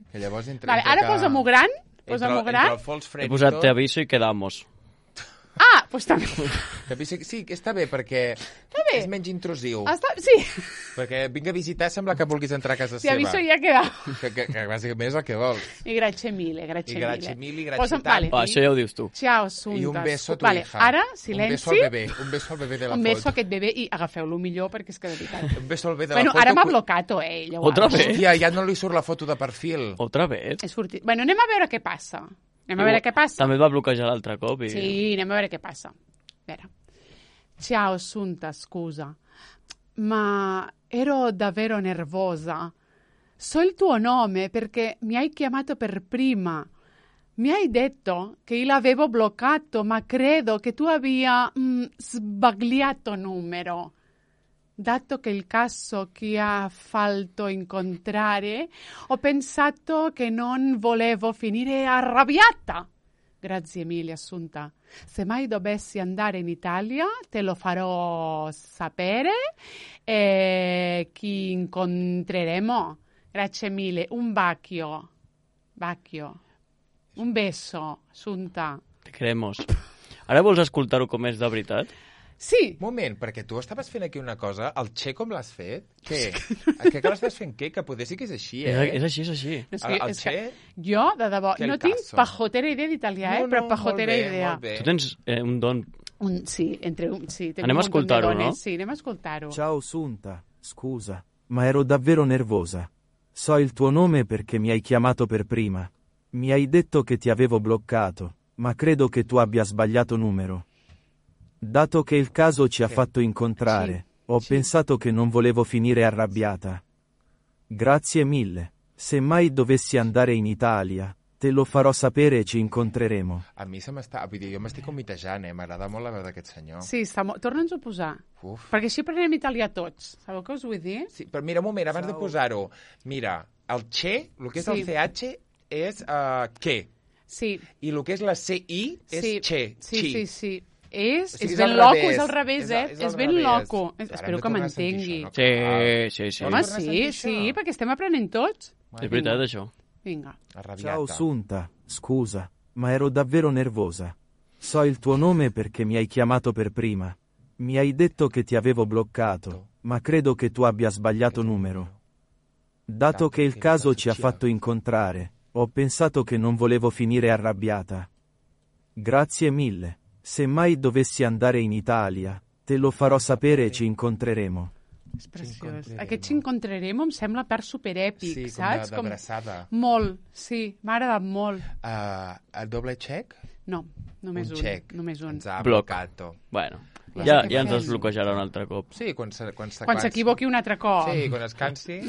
Que llavors entre... Vale, entre ara que- posa-m'ho gran. entre Posa-m'ho el- gran. Entre el fals He fred i posat tot, te aviso i quedamos. Ah, doncs també. també sí, sí, que està bé, perquè Està bé. és menys intrusiu. Està... Sí, Perquè vinc a visitar sembla que vulguis entrar a casa si seva. aviso ja queda. Que, que, que bàsicament és el que vols. I grazie mille, grazie I mille. grazie mille, grazie Posa'm- tanti. vale. Va, això ja ho dius tu. Ciao, Assunta. I un beso a tu vale, hija. Ara, Un silenci. beso al bebè. Un beso al bebè de la Un foto. beso a aquest bebè i agafeu-lo millor perquè és que de veritat. Un beso al bebè de Bueno, la foto. ara m'ha cu- blocat, eh, llavors. Otra vez? Hòstia, ja no li surt la foto de perfil. Otra vez? És furtiu. Bueno, anem a veure què passa. Anem a veure què passa. També et va bloquejar l'altre cop. I... Sí, anem a veure què passa. A veure. Ciao, Assunta, scusa. Ma ero davvero nervosa. So il tuo nome perché mi hai chiamato per prima. Mi hai detto che io l'avevo bloccato, ma credo che tu abbia mm, sbagliato numero. Dato che il caso che ha fatto incontrare, ho pensato che non volevo finire arrabbiata. Grazie mille, Assunta. Se mai dovessi andare in Italia, te lo farò sapere e chi incontreremo. Grazie mille. Un bacio. Bacio. Un beso, Assunta. Te queremos. Ara vols escoltar-ho com és de veritat? Sí. Moment, perquè tu estaves fent aquí una cosa, el Che com l'has fet? Què? Què que l'estàs fent què? Que poder sí que és així, És, eh? és així, és així. És El- el és que Che? jo, de debò, Que el no tinc caso. pajotera idea d'italià, eh? No, però no, pajotera molt bé, idea. molt bé. Tu tens eh, un don... Un, sí, entre un, sí, tengo Anem a un montón de escoltar-ho, dones. no? Sí, anem a escoltar-ho. Ciao Assunta, scusa, ma ero davvero nervosa. So il tuo nome perché mi hai chiamato per prima. Mi hai detto che ti avevo bloccato, ma credo che tu abbia sbagliato numero. Dato che il caso ci ha Sì. fatto incontrare, ho Sì. pensato che non volevo finire arrabbiata. Grazie mille. Se mai dovessi andare in Italia, te lo farò sapere e ci incontreremo. A mi se m'està... Vull dir, jo m'estic comitejant, eh? M'agrada molt la veu d'aquest senyor. Sí, està molt... Torna'ns-ho a posar. Uf. Perquè així aprenem italià tots. Sabeu què us vull dir? Sí, però mira, un moment, abans de Ciao. posar-ho. Mira, el che, el que és Sí. el C H, és uh, que. Sí. I el que és la C I és sí. che, Sí, chi. sí, sí. És, O sigui, és és ben al loco, revés. és al revés, És eh? al- és És, al ben revés. loco. Ara hem Espero de que tornar a sentir m'entengui. això, no? Sí, sí, sí. Home, Torna a sí, sentir sí, això. perquè estem aprenent tots. És veritat, això. Vinga. Arrabbiata. Ciao Sunta, scusa, ma ero davvero nervosa. So il tuo nome perché mi hai chiamato per prima. Mi hai detto che ti avevo bloccato, ma credo che tu abbia sbagliato numero. Dato che il caso ci ha fatto incontrare, ho pensato che non volevo finire arrabbiata. Grazie mille. Se mai dovessi andare in Italia, te lo farò sapere e ci incontreremo. És preciós. C'incontreremo. Aquest C'incontreremo em sembla part superèpic, Sí, com saps? de- d'abraçada. Molt, sí, m'ha agradat molt. Uh, el doble xec? No, només un. un xec. Només un. Ens ha Bloc. blocato. Bueno, Ja ja, sé què ja ens fem. es bloquejarà un altre cop. Sí, quan se- quan Quan s'equivoqui un altre cop. Sí, quan es cansi...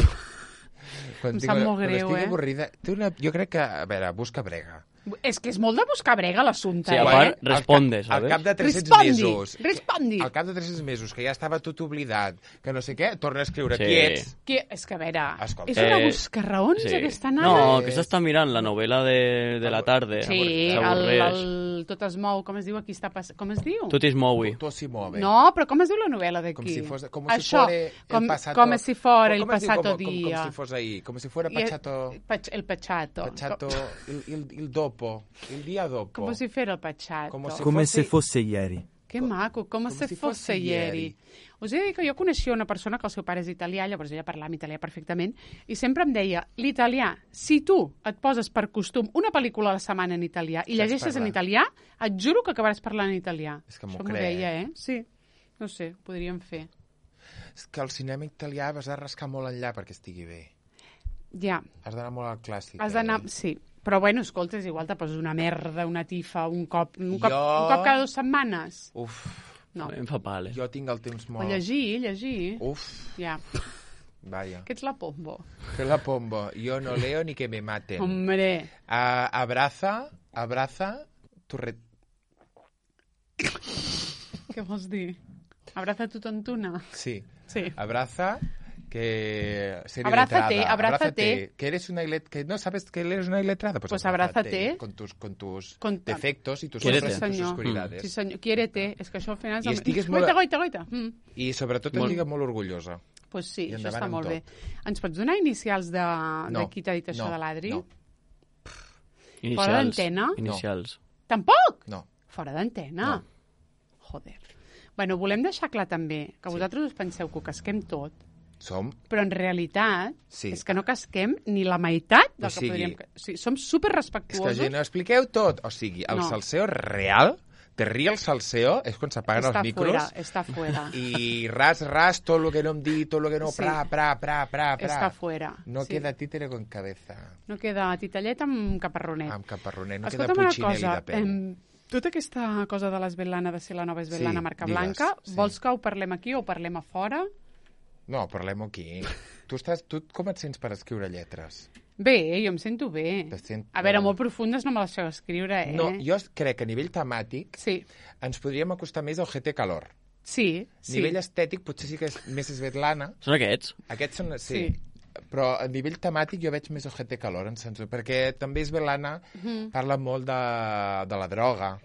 Quan Em tinc- sap molt quan greu, estigui eh? avorrida... Té una... Jo crec que... A veure, busca brega. És que és molt de buscar brega l'assumpte, Sí, a eh? part, Al responde, cap- Al ¿sabes? cap de tres-cents Respondi, mesos... respondi. Al cap de tres-cents mesos, que ja estava tot oblidat, que no sé què, torna a escriure Sí. qui ets. Que, és que, a veure, Escolta. és una Eh, buscarraons, Sí. aquesta nana. No, que s'està mirant la novel·la de, de la tarda. Sí, el, S'avorreix. el Tot es mou, com es diu aquí està passant? Com es diu? Tot es moui. Tot s'hi move. No, però com es diu la novel·la d'aquí? Com si fos, com Això, si fuera com, el passato... com si fora el com es diu? passato Com- com- dia. Com si fos ahí, com si fuera I- pachato... Pach- El pachato. Pachato... Il, il, il dopo, il dia dopo. Come si fa il pachato? Come si- Come fossi- se fosse ieri. Que maco, com, com se si fosse fosse ieri. ieri. Us he de dir que jo coneixia una persona que el seu pare és italià, llavors ella parlava italià perfectament, i sempre em deia, l'italià, si tu et poses per costum una pel·lícula a la setmana en italià i Saps llegeixes en parlar. italià, et juro que acabaràs parlant en italià. És que m'ho Això m'ho crec. deia, eh? Sí, no sé, ho podríem fer. És que el cinema italià has de rascar molt enllà perquè estigui bé. Ja, Has d'anar molt al clàssic. has d'anar... Eh? Sí, però bueno, escolta, és igual, te poses una merda, una tifa, un cop, un cop, Jo- un cop cada dues setmanes. Uf, No. Em fa pal, eh? jo tinc el temps O molt... llegir, llegir. Uf, Ja, vaya. que ets la pombo. Que la pombo. Yo no leo ni que me maten. Hombre, Ah, abraza, abraza, tu re... què vols dir? Abraza tu tontuna. Sí. Sí. Abraza, que... serie Abrázate, letrada. abrázate. Que eres una ilet... que no sabes que eres una iletrada. Pues, Pues abrázate. Con tus, con tus Con- defectos y tus, Quiérete. sombras y tus Senyor. oscuridades. Sí, senyor. Quiérete. És que això al final... és I el- estigues molt- Goita, goita, goita. Mm. I sobretot Molt- et digue molt orgullosa. Pues sí, I això endavant està amb molt tot. bé. Ens pots donar inicials de, No, de qui t'ha dit això no, de l'Adri? no. Inicials. d'antena? Inicials. Tampoc? No. Fora d'antena? No. Joder. Bueno, volem deixar clar també que vosaltres us penseu que ho casquem tot, Som... però en realitat Sí. és que no casquem ni la meitat del O que sigui- podríem... ca- Sí, som super És que respectuosos. gent, no expliqueu tot. O sigui, el No. salseo real, de real salseo, és quan s'apaguen Està els micros fuera, està fuera. i ras, ras, tot lo que no em digui, tot lo que no, Sí. pra, pra, pra, pra, pra. Està fuera. No sí. queda títere con cabeza. No queda titellet amb caparronet. Amb caparronet, no Escolta'm queda una puccinelli cosa, de peu. em, tota aquesta cosa de l'esvetlana, de ser la nova esvetlana Sí, marca digues, blanca, sí. vols que ho parlem aquí o ho parlem a fora? No, parlem aquí. Tu, estàs, tu com et sents per escriure lletres? Bé, jo em sento bé. Te sent- A veure, molt profundes no me les sé escriure, eh? No, jo crec que a nivell temàtic Sí, ens podríem acostar més al G T Calor. sí, A sí. nivell estètic potser sí que és més esvetlana. Són aquests? Aquests són... Sí. Sí. Però a nivell temàtic jo veig més el G T Calor, en sens, perquè també Esvelana Mhm. parla molt de, de la droga.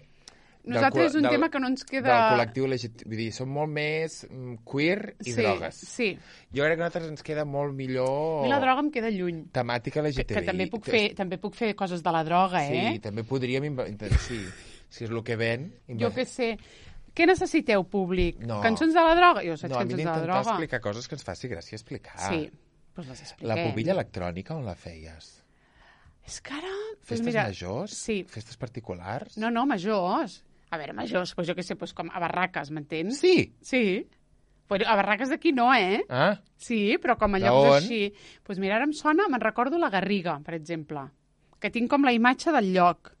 Del Nosaltres és un col- del- tema que no ens queda... Del col·lectiu L G T B. Vull dir, som molt més mm, queer i sí, drogues. Sí, Jo crec que a nosaltres ens queda molt millor... a mi la droga em queda lluny. Temàtica L G T B I. Que també puc, fer, també puc fer coses de la droga, eh? Sí, també podríem... inve- Sí, si és el que ven... Jo què sé. Què necessiteu, públic? No. Cançons de la droga? Jo saps No, a mi cançons de la d'intentar droga. explicar coses que ens faci gràcia explicar. Sí, doncs les expliquem. La pubilla electrònica on la feies? És que ara... Doncs Festes mira, majors? Sí. Festes particulars? No, no, majors. A veure, majors, doncs jo què sé, doncs com a barraques, m'entens? Sí. Sí. Però a barraques d'aquí no, eh? Ah, Sí, però com a D'on? llocs així... Doncs mira, ara em sona, me'n recordo la Garriga, per exemple, que tinc com la imatge del lloc.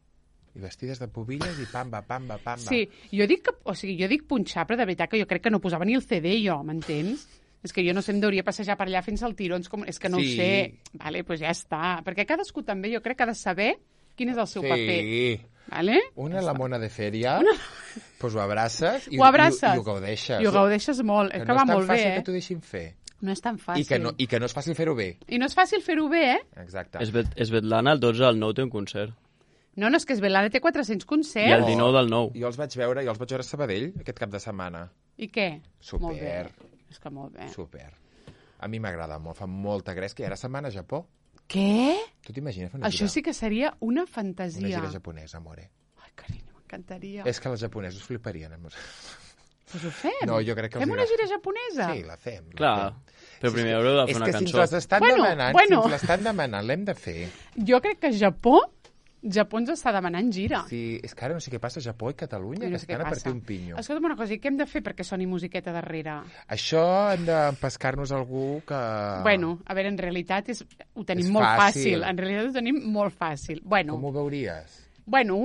I vestides de pubilles i pamba, pamba, pamba. Sí, jo dic, que, o sigui, jo dic punxar, però de veritat que jo crec que no posava ni el C D jo, m'entens? És que jo no sé, em deuria passejar per allà fins al tirons, com... és que no Sí. ho sé. Vale, doncs ja està. Perquè cadascú també jo crec que ha de saber quin és el seu Sí. paper. Vale? Una la mona de fèria, doncs ho abraces i, Ho abraces. i, i ho gaudeixes. I ho gaudeixes molt. Que És que no va és tan molt bé, fàcil eh? que t'ho deixin fer. No és tan fàcil. I que, no, I que no és fàcil fer-ho bé. I no és fàcil fer-ho bé, eh? Exacte. Esvet- Svetlana, el dotze del nou té un concert. No, no, és que Svetlana té quatre-cents I concerts. el dinou del nou. Jo els vaig veure, jo els vaig veure a Sabadell aquest cap de setmana. I què? Super. Molt bé. És que molt bé. Super. A mi m'agrada molt, fa molta gresca. I ara setmana a Japó. Què? Tu t'imagines fer una Això gira? sí que seria una Una fantasia. gira japonesa, amore. Ai, carinyo, m'encantaria. És que els japonesos fliparien. Amb... Doncs ho fem. No, jo crec que els Fem una agrada. gira japonesa? Sí, la fem. La Clar, fem. però primer haureu de fer És una que si ens cançó. les estan Bueno, demanant, bueno. si ens l'estan demanant, l'hem de fer. Jo crec que Japó, Japó ens està demanant gira. Sí, és que ara no sé què passa a Japó i Catalunya, I que no sé què estan a passa. partir un pinyo. Escolta'm una cosa, i què hem de fer perquè soni musiqueta darrere? Això hem de pescar-nos algú que... Bueno, a veure, en realitat és, ho tenim És molt fàcil. fàcil. En realitat ho tenim molt fàcil. Bueno, Com ho veuries? bueno,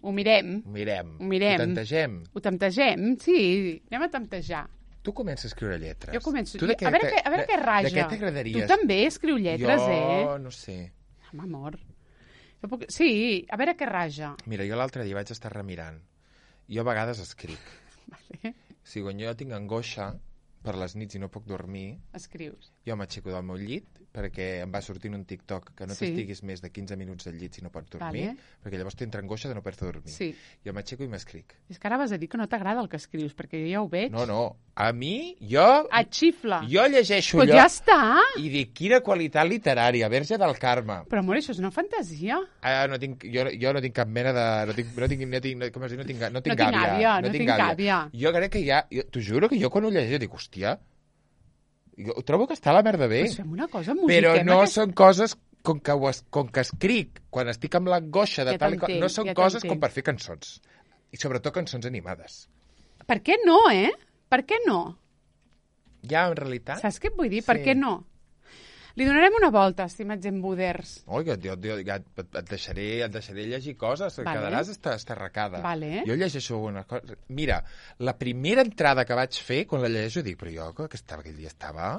ho mirem. Ho mirem. Ho mirem. Ho tantegem. Ho temptegem? Sí, anem a temptejar. Tu comences a escriure lletres. Jo començo. Tu de a veure, te- què, a veure de- què raja. De què t'agradaries? Tu també escriu lletres, jo, eh? no sé. Home, amor. Jo puc... Sí, a veure què raja. Mira, jo l'altre dia vaig estar remirant. Jo a vegades escric. Vale. Si quan jo tinc angoixa per les nits i no puc dormir, Escrius. jo m'aixeco del meu llit perquè em va sortint un TikTok que no Sí. t'estiguis més de quinze minuts al llit si no pots dormir, Vale. perquè llavors t'entra angoixa de no poder dormir. Sí. Jo m'aixeco i m'escric. És que ara vas a dir que no t'agrada el que escrius, perquè jo ja ho veig. No, no. A mi, jo... Et xifla. Jo llegeixo Però allò ja està. i dic, quina qualitat literària, Verge del Carme. Però, amor, això és una fantasia. Ah, no tinc, jo, jo no tinc cap mena de... No tinc, no tinc, no tinc, no, com es diu? No tinc, no tinc No tinc gàbia. gàbia, no tinc gàbia. Jo crec que ja... Jo, t'ho juro que jo quan ho llegeixo dic, hòstia, jo trobo que està a la merda bé. Doncs fem una cosa, Però musiquem no aquest... són coses com que, ho es, com que escric quan estic amb l'angoixa de Ja tal i qual. t'entenc, No són ja coses t'entenc. com per fer cançons. I sobretot cançons animades. Per què no, eh? Per què no? Ja, en realitat... Saps què et vull dir? Per Sí. què no? Li donarem una volta, estimats embuders. Oi, que jo, jo, ja et, et, deixaré, et deixaré llegir coses, Vale. vale. quedaràs esta- estarracada. Vale. Jo llegeixo una cosa... Mira, la primera entrada que vaig fer, quan la llegeixo, dic, però jo que, que estava, aquell dia estava...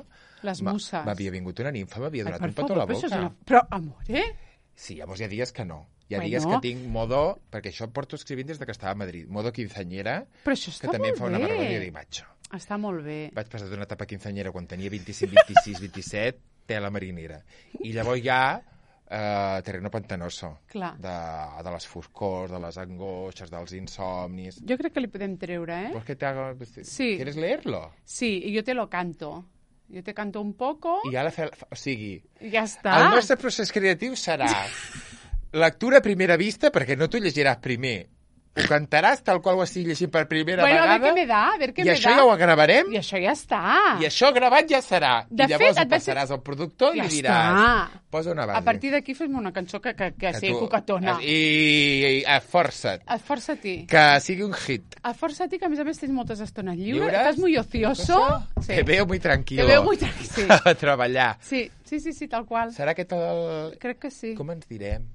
Les Ma- musses. M'havia vingut una nimfa, m'havia Ai, donat per un petó a la favor, però boca. això és una... Però, amor, eh? Sí, llavors hi ha dies que no. Hi ha Bueno. dies que tinc modo... Perquè això porto escrivint des de que estava a Madrid. Modo quinceanyera, Però això que està també em molt fa una bé. vergonya dir, macho. Està molt bé. Vaig passar d'una etapa quinceanyera quan tenia vint-i-cinc, vint-i-sis, vint-i-set, tela marinera. I llavors ja eh, terreno pantanoso. Clar. De, de les foscors, de les angoixes, dels insomnis. Jo crec que li podem treure, eh? ¿Vols que te haga... Sí. ¿Quieres leerlo? Sí, y yo te lo canto. Yo te canto un poco I ara, fe... o sigui, i ja està. el nostre procés creatiu serà lectura a primera vista, perquè no t'ho llegiràs primer. Ho cantaràs tal qual ho estigui llegint per primera Bueno, a vegada. ver qué me da, a ver qué I me això da. ja ho gravarem. I això ja està. I això gravat ja serà. De I llavors fet, ho et vaig- passaràs al productor i Ja li diràs... està. Posa una base. A partir d'aquí fes-me una cançó que, que, que, Que sigui tu- cucatona. I, i esforça't. Esforça-t'hi. Que sigui un hit. Esforça-t'hi, que a més a més tens moltes estones lliures. Lliures? Estàs muy ocioso. Sí. Te veo muy tranquilo. Te veo muy tranquil, sí. A treballar. Sí, sí, sí, sí, tal qual. Serà aquest el... Crec que sí. Com ens direm?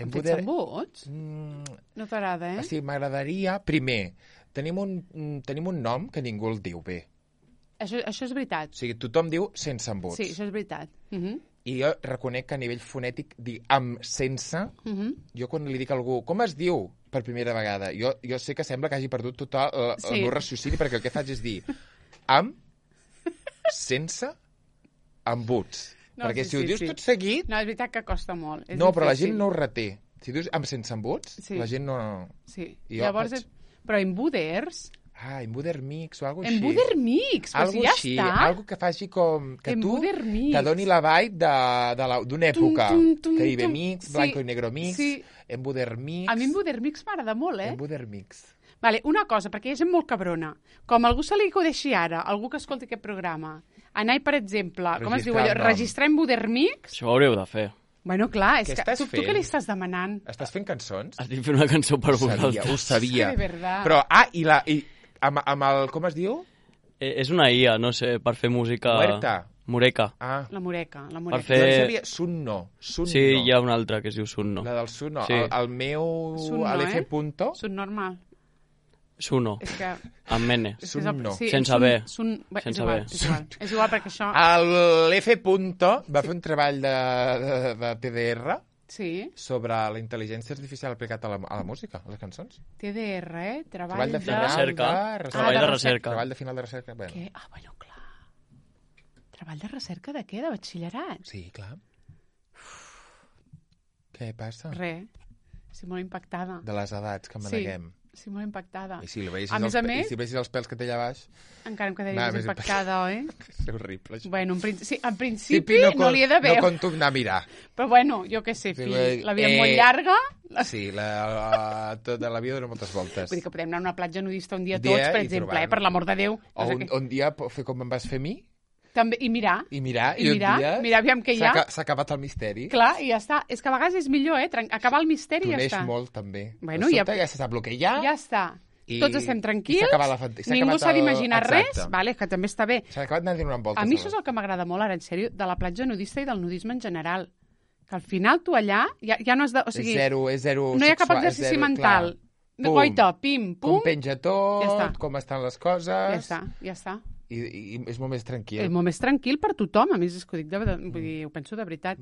Em Em fets poder- embuts? Mm, No t'agrada, eh? o sigui, m'agradaria... Primer, tenim un, mm, tenim un nom que ningú el diu bé. Això, això és veritat. O sigui, tothom diu sense embuts. Sí, això és veritat. Uh -huh. I jo reconec que a nivell fonètic dir amb sense... Uh -huh. Jo quan li dic a algú, com es diu per primera vegada? Jo, jo sé que sembla que hagi perdut tot el, el, Sí. el meu raciocini, perquè el que faig és dir amb, sense, embuts. No, perquè sí, si ho sí, dius sí. tot seguit... No, és veritat que costa molt. És No, però la difícil. gent no ho reté. Si dius amb sense embuts, Sí. la gent no... Sí. I jo Llavors, faig- és... però embuders... Ah, embuder mix o alguna cosa així. Embuder mix, però Algo si ja així, està. algo que faci com... Que tu Embuder mix. te doni la vibe de- de la- d'una època. Tum, tum, Caribe tum. mix, Sí, blanco i negro mix, sí. embuder mix... A mi embuder mix m'agrada molt, eh? Embuder mix. Vale, una cosa, perquè hi ha gent molt cabrona. Com algú se li acudeixi ara, algú que escolti aquest programa, anar, per exemple, com es diu Registrar allò? el nom. Registrar embuder mix? Això ho hauríeu de fer. Bueno, clar, és Què que estàs tu, tu fent? què li estàs demanant? Estàs fent cançons? Estic fent una cançó per Ho sabia, vosaltres. ho sabia. És que de verdad. Però, ah, i, la, i amb, amb el... Com es diu? Eh, És una I A, no sé, per fer música... Muerta. Mureca. Ah, La Mureca, la Per Mureca. fer- jo en sabia Sunno. Sunno. Sí, hi ha una altra que es diu Sunno. La del Sunno. Sí. El, el meu... Sunno, a l'F eh? punto... Sun normal. Suno, És que... amb mene. és que és el- Sunno. sí, Sense sun- B. Sun, bé, Sense és igual, B. és igual. És igual perquè això... L'F punto va fer un treball de, de, de T D R Sí, sobre la intel·ligència artificial aplicat a la, a la música, a les cançons. T D R, eh? Treball, Treball de de... final recerca. de Treball de de recerca. recerca. Treball de final de recerca. Bueno. Què? Ah, bueno, clar. Treball de recerca de què? De batxillerat? Sí, clar. Què passa? Res. Estic molt impactada. De les edats que Sí. maneguem. Estic molt impactada. I si, li veisis A més els, a pe- més- i si veisis els pèls que té allà baix, Encara em quedaria Va, més més impactada, oi? és horrible. Això. Bueno, en, principi, sí, en Sí, principi no, con- li he de No veure. conto anar a mirar. Però bueno, jo què sé, Sí, fill. vull- La vida és eh, molt llarga. Sí, la, la, tota la vida dona moltes voltes. Vull dir que podem anar a una platja nudista un dia, Un dia tots, per i exemple, trobar-nos. eh, per l'amor de Déu. O No sé un, què. un dia po- fer com em vas fer a mi També, I mirar. i mirar, I i, mirar, un dia mirar aviam què hi s'ha ha. aca- s'ha acabat el misteri. Clar, i ja està. És que a vegades és millor, eh? tren- Acabar el misteri i ja T'uneix està. molt, també. Bueno, de ja- sobte ja se sap el que hi ha. Ja està. I- Tots estem i tranquils, s'ha acabat la fant- s'ha ningú acabat s'ha el- d'imaginar exacte. res, vale, que també està bé. S'ha acabat anant donant voltes. A mi això és el que m'agrada molt, ara, en sèrio, de la platja nudista i del nudisme en general. Que al final tu allà ja, ja no has de... O sigui, és zero, és zero no hi ha cap sexual, és exercici zero, mental. clar. Pum. Goita, pim, pum, Com penja tot, Ja està. com estan les coses... ja està, ja està. I, i, i és molt més tranquil. És molt més tranquil per tothom, a més és que ho dic de, de, vull dir, ho penso de veritat.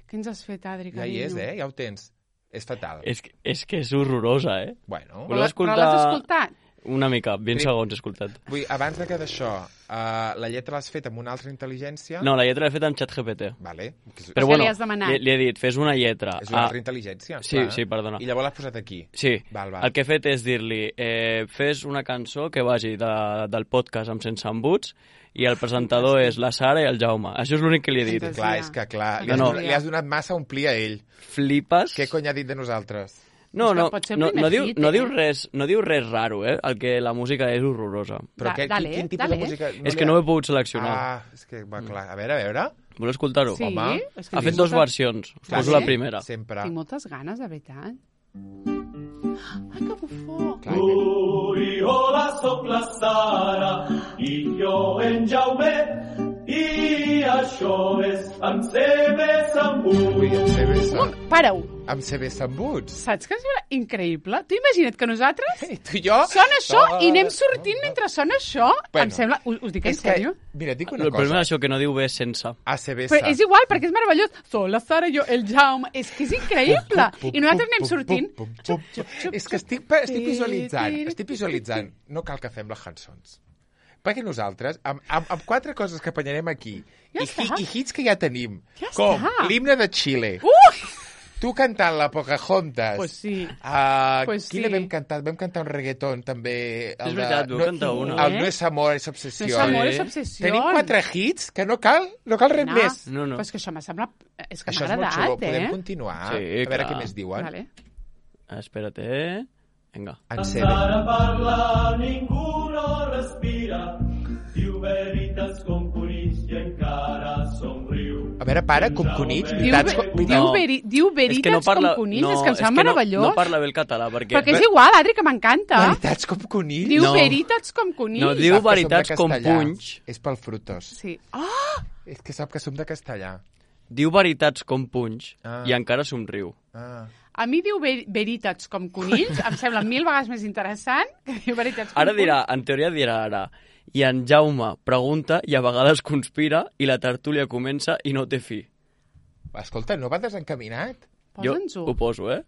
Què ens has fet, Adri, Ja carinyo? hi és, eh? Ja ho tens. És fatal. És que és, que és horrorosa, eh? Bueno, Voleu Però escoltar- l'has escoltat? Una mica, vint Prim- segons he escoltat. vull, abans de que d'això, uh, la lletra l'has fet amb una altra intel·ligència... No, la lletra l'he fet amb ChatGPT. Vale. Que és, Però què bueno, li has demanat? li, li he dit, fes una lletra. és una Ah, altra intel·ligència. sí, clar. sí, perdona. I llavors l'has posat aquí. Sí, Val, val. el que he fet és dir-li eh, fes una cançó que vagi de, del podcast amb Sense Embuts i el presentador és la Sara i el Jaume. Això és l'únic que li he dit. Fantasia. Clar, és que clar, li has, No, no. donat, li has donat massa a omplir a ell. Flipes? Què cony ha dit de nosaltres? No, És que no, pot ser el no, primer no, diu, hit, no, eh? diu res, no diu res raro, eh? El que la música és horrorosa. Però Da- què, dale, quin, quin tipus dale. de música... és que li no ha- ho he pogut seleccionar. Ah, és que va clar. A veure, a veure. Voleu escoltar-ho? Sí, Home, és que Ha tinc fet dues molta- versions. Us Clar, poso sí. la primera. Sempre. Tinc moltes ganes, de veritat. Ai, que bufó! Clar, Ui, hola, sóc la Sara i jo en Jaume i això és amb C B Sambut. Ui, amb C B Un, para-ho! amb C B Sambuts. Saps que és increïble? Tu imagina't que nosaltres I tu i jo... sona això i anem sortint mentre sona això. Bueno, em sembla... Us, us dic en És que, sèrio? mira, et dic una El problema cosa. és això, que no diu bé sense. A C B Però és igual, perquè és meravellós. Soc la Sara, jo, el Jaume... És que és increïble. I nosaltres anem sortint... Xup, xup, xup, És que xup. estic, estic visualitzant, estic visualitzant. No cal que fem les cançons. Perquè nosaltres, amb, amb, amb quatre coses que apanyarem aquí, Ja i, hi, està. i hits que ja tenim, Ja com està. l'himne de Xile, Ui! tu cantant la Pocahontas, Pues sí. uh, Pues quina sí. vam cantar? Vam cantar un reggaeton, també. El És veritat, de, vau cantar una. El No és amor, és No obsessió. és amor, Sí. és obsessió. Tenim quatre hits que no cal, no cal res No, més. No, no. Però és que això m'ha semblat... És que Això m'ha és molt agradat, xulo. Podem eh? continuar? Sí, a veure clar. què més diuen. Vale. Espera't, eh? Vinga. En C B. Encara parla, ningú no respira, diu veritats com conills i encara somriu. A veure, para, com conills, Diu, veritats... ve- com- diu, No. veri, diu És que veritats no parla... com conills, no, és que em és sembla que no, meravellós. no parla bé el català, perquè... Però que és igual, Adri, que m'encanta. Veritats com conills? Diu No. veritats com conills. No, diu Sap que som de veritats com castellà. punys. És pel frutos. Sí. Ah! És que sap que som de castellà. Diu veritats com punys Ah. i encara somriu. Ah. A mi diu ver veritats com conills, em sembla mil vegades més interessant que diu veritats com Ara dirà, conills. en teoria dirà ara, i en Jaume pregunta i a vegades conspira i la tertúlia comença i no té fi. Escolta, no va desencaminat? Jo Posa'ns-ho. ho poso, eh?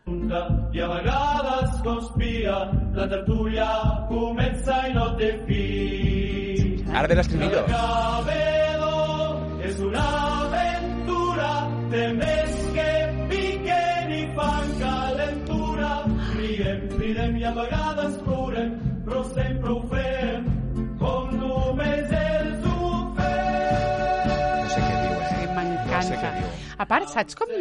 I a vegades conspira, la tertúlia comença i no té fi. Ara ve l'escribillo. Cabedor és una aventura, té més que piquen i fan calentura. Riem, cridem i a vegades plorem, però sempre ho fem com només ells ho fem. No sé què diu, eh? Sí, No sé què m'encanta. diu. A part, saps com...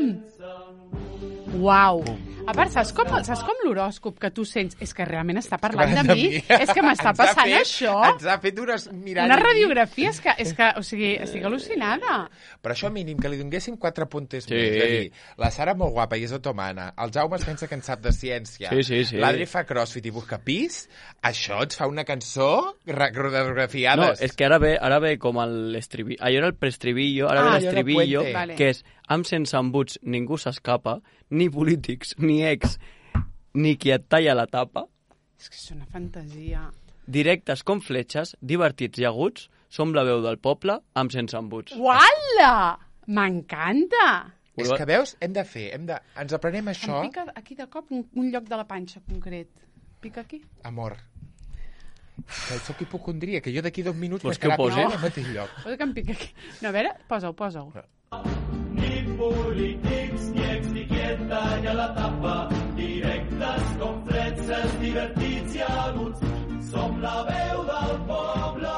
Uau! A part, saps com, saps com l'horòscop que tu sents? És que realment està parlant de de mi. mi. És que m'està Ens ha passant fet- això. Ens ha fet unes miralles. Una radiografia, és que, és que, o sigui, estic al·lucinada. Però això mínim, que li donguéssim quatre punters Sí. més. És a dir, la Sara molt guapa i és otomana, el Jaume es pensa que en sap de ciència, Sí, sí, sí. l'Adri fa crossfit i busca pis, això ens fa una cançó No, radiografiades. és que ara ve, ara ve com l'estribillo. Allò era el preestribillo, ara Ah, ve allò del l'estribillo, puente. Vale. que és amb sense embuts ningú s'escapa, ni polítics, ni ex, ni qui et talla la tapa, És que és una fantasia. directes com fletxes, divertits i aguts, som la veu del poble amb sense embuts. Uala! M'encanta! És que veus, hem de fer, hem de... ens aprenem Em això, pica aquí de cop un, un lloc de la panxa concret. Pica aquí? amor. Que sóc hipocondria, que jo d'aquí dos minuts Vols que ho posi? al mateix lloc. Posa que em pica aquí. No, a veure, posa-ho, posa-ho. Ni polítics, ni ex, ni qui et talla la tapa, directes com fletxes, divertits i aguts, som la veu del poble.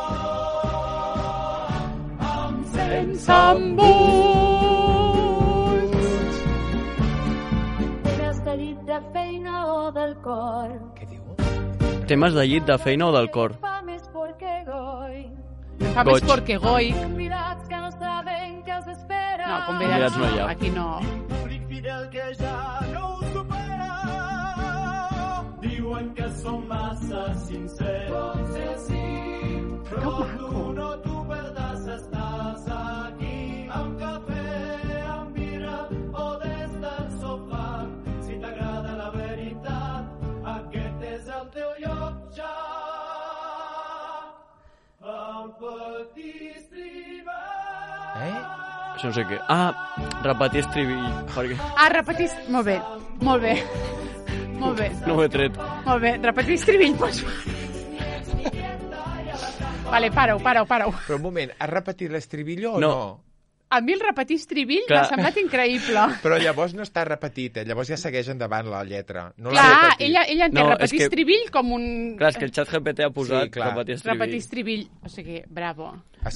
Amb Sense embuts. Temes de llit de feina o del cor. Què diu? Temes de llit, de feina o del cor. Fa més porque goy. Fa més Goig. porque goy. Convidats que no saben què els espera. No, Convidats convidats no hi ha. Aquí no. públic fidel que ja no ho supera. Diuen que som massa sincers. Pot ser així, però Que tu maco. no t'ho perdàs, estàs aquí amb cafè, amb birra o des del sofà. Si t'agrada la veritat, aquest és el teu lloc ja. El petit estribat. Eh? Això no sé què. Ah, repetir estribill. Perquè Ah, repetis... Molt bé, molt bé. Molt bé, no ho he tret. molt bé. Repetir estribill, pots... Vale, para-ho, para-ho, para-ho. Però un moment, has repetit l'estribillo o No. no? A mi el repetir estribill Clar. m'ha semblat increïble. Però llavors no està repetit, eh? Llavors ja segueix endavant la lletra. No l'ha Clar, repetit. ella, ella entén No, és repetir que- estribill com un... Clar, és que el xat G P T ha posat Sí, clar. repetir estribill. Repetir estribill. O sigui, bravo.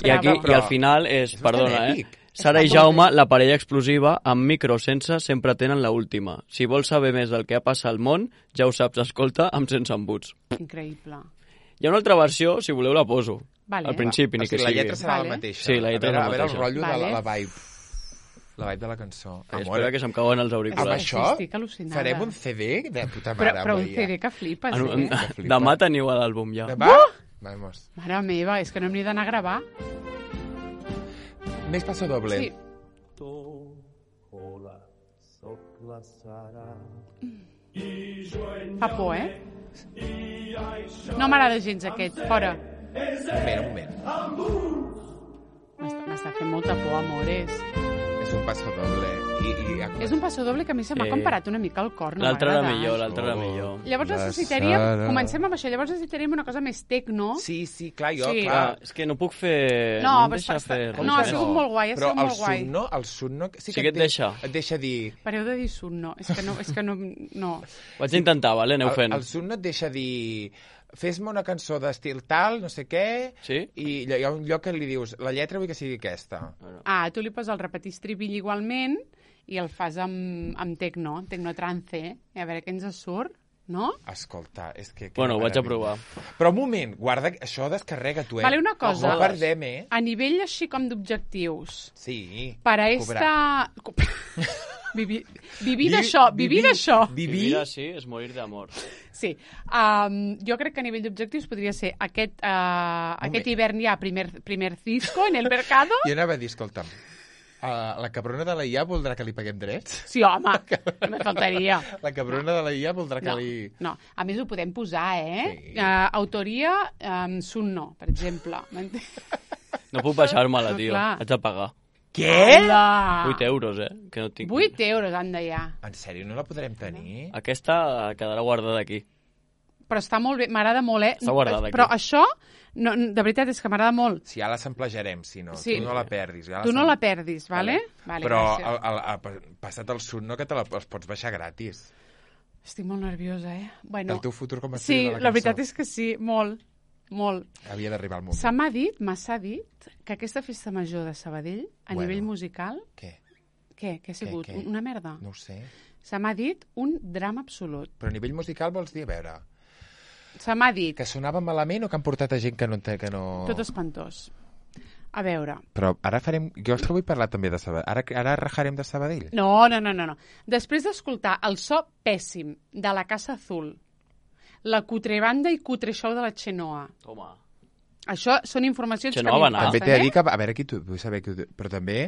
I aquí, Bravo. i al final és, És perdona, bastant eh? èpic. Sara i Està molt Jaume, bé. la parella explosiva, amb micro o sense, sempre tenen la última. Si vols saber més del que ha passat al món, ja ho saps, escolta, amb sense embuts. Increïble. Hi ha una altra versió, si voleu la poso. Vale. Al principi, O ni que sigui, la sigui. lletra serà Vale. la mateixa. Sí, la lletra a veure, és la a veure el mateixa. rotllo de la, Vale. la vibe. La vibe de la cançó. Ai, espera que se'm cauen els amb auriculars. Sí, això estic al·lucinada. farem un C D de puta Però, mare. però un veia. C D que flipes, En, en, eh? Que flipa. demà teniu l'àlbum ja. Va? Vamos. Mare meva, és que no hem ni d'anar a gravar. Més passo doble. Sí. Fa por, eh? No m'agrada gens aquest. Fora. Un moment, un moment. M'està m'està fent molta por, amores. És un passo doble. I, i... És un passo doble que a mi se m'ha Sí. comparat una mica al cor. No L'altre m'ha era agradat. millor, l'altre era Oh. millor. Llavors La necessitaríem... Sara. Comencem amb això. Llavors necessitaríem una cosa més tecno. Sí, sí, clar, jo, Sí. clar. Ah, és que no puc fer... No, no em però deixa està- fer està- res. no, ha més. sigut molt guai, ha Però sigut el molt guai. Sunno, el Sunno... Sí, que et deixa. Et deixa dir... Pareu de dir sun, no. És que no... És que no, no. Ho vaig intentar, vale? Aneu fent. El, el Sunno et deixa dir... Fes-me una cançó d'estil tal, no sé què, Sí? i hi ha un lloc que li dius, la lletra vull que sigui aquesta. Ah, tu li poses el repetir estribill igualment i el fas amb, amb tecno, tecno trance, i a veure què ens surt, no? Escolta, és que... que Bueno, ho vaig a meravella. provar. Però un moment, guarda, això descarrega tu, eh? Vale, una cosa. No perdem, eh? A nivell així com d'objectius, Sí. per a Cobrar. esta... Vivir, vivir Vi- d'això, vivir vivir- d'això. Vivir... Vivir així és morir d'amor. Sí. Um, jo crec que a nivell d'objectius podria ser aquest, uh, aquest hivern ja primer, primer disco en el mercado. Jo anava a dir, escolta'm, uh, la cabrona de la I A voldrà que li paguem drets? Sí, home, no me faltaria. La cabrona de la I A voldrà que No, li... no, a més ho podem posar, eh? Sí. Uh, autoria um, Sunno, per exemple. No puc baixar-me-la, No, tio. clar. Haig de pagar. Què? Hola! vuit euros, eh? Que no tinc... vuit euros, anda ja. En sèrio, no la podrem tenir? Aquesta quedarà guardada aquí. Però està molt bé, m'agrada molt, eh? Està guardada aquí. Però això, no, de veritat, és que m'agrada molt. Si ja la samplejarem, si no. Sí. Tu no la perdis. Ja Tu no sam- la perdis, vale? Vale, Però gràcies. el, el, el, passat el Sunno que te la, els pots baixar gratis. Estic molt nerviosa, eh? Bueno, El teu futur com a sí, estil de la la cançó. veritat és que sí, molt, molt. Havia d'arribar el moment. Se m'ha dit, m'ha dit, que aquesta festa major de Sabadell, a Bueno. nivell musical, Què? què? Què ha sigut? què? Una merda? No ho sé. Se m'ha dit un drama absolut. Però a nivell musical vols dir, a veure, Se m'ha dit que sonava malament o que han portat a gent que no... Que no... tot espantós. A veure... Però ara farem... Jo és que vull parlar també de Sabadell. Ara, ara rajarem de Sabadell. No, no, no, no. no. Després d'escoltar el so pèssim de la Casa Azul, la cutrebanda i cutre show de la Xenoa, Home. això són informacions Xenoa que va a mi em anar. També passen, t'he de dir eh? que... A veure, aquí tu, vull saber que... Però també...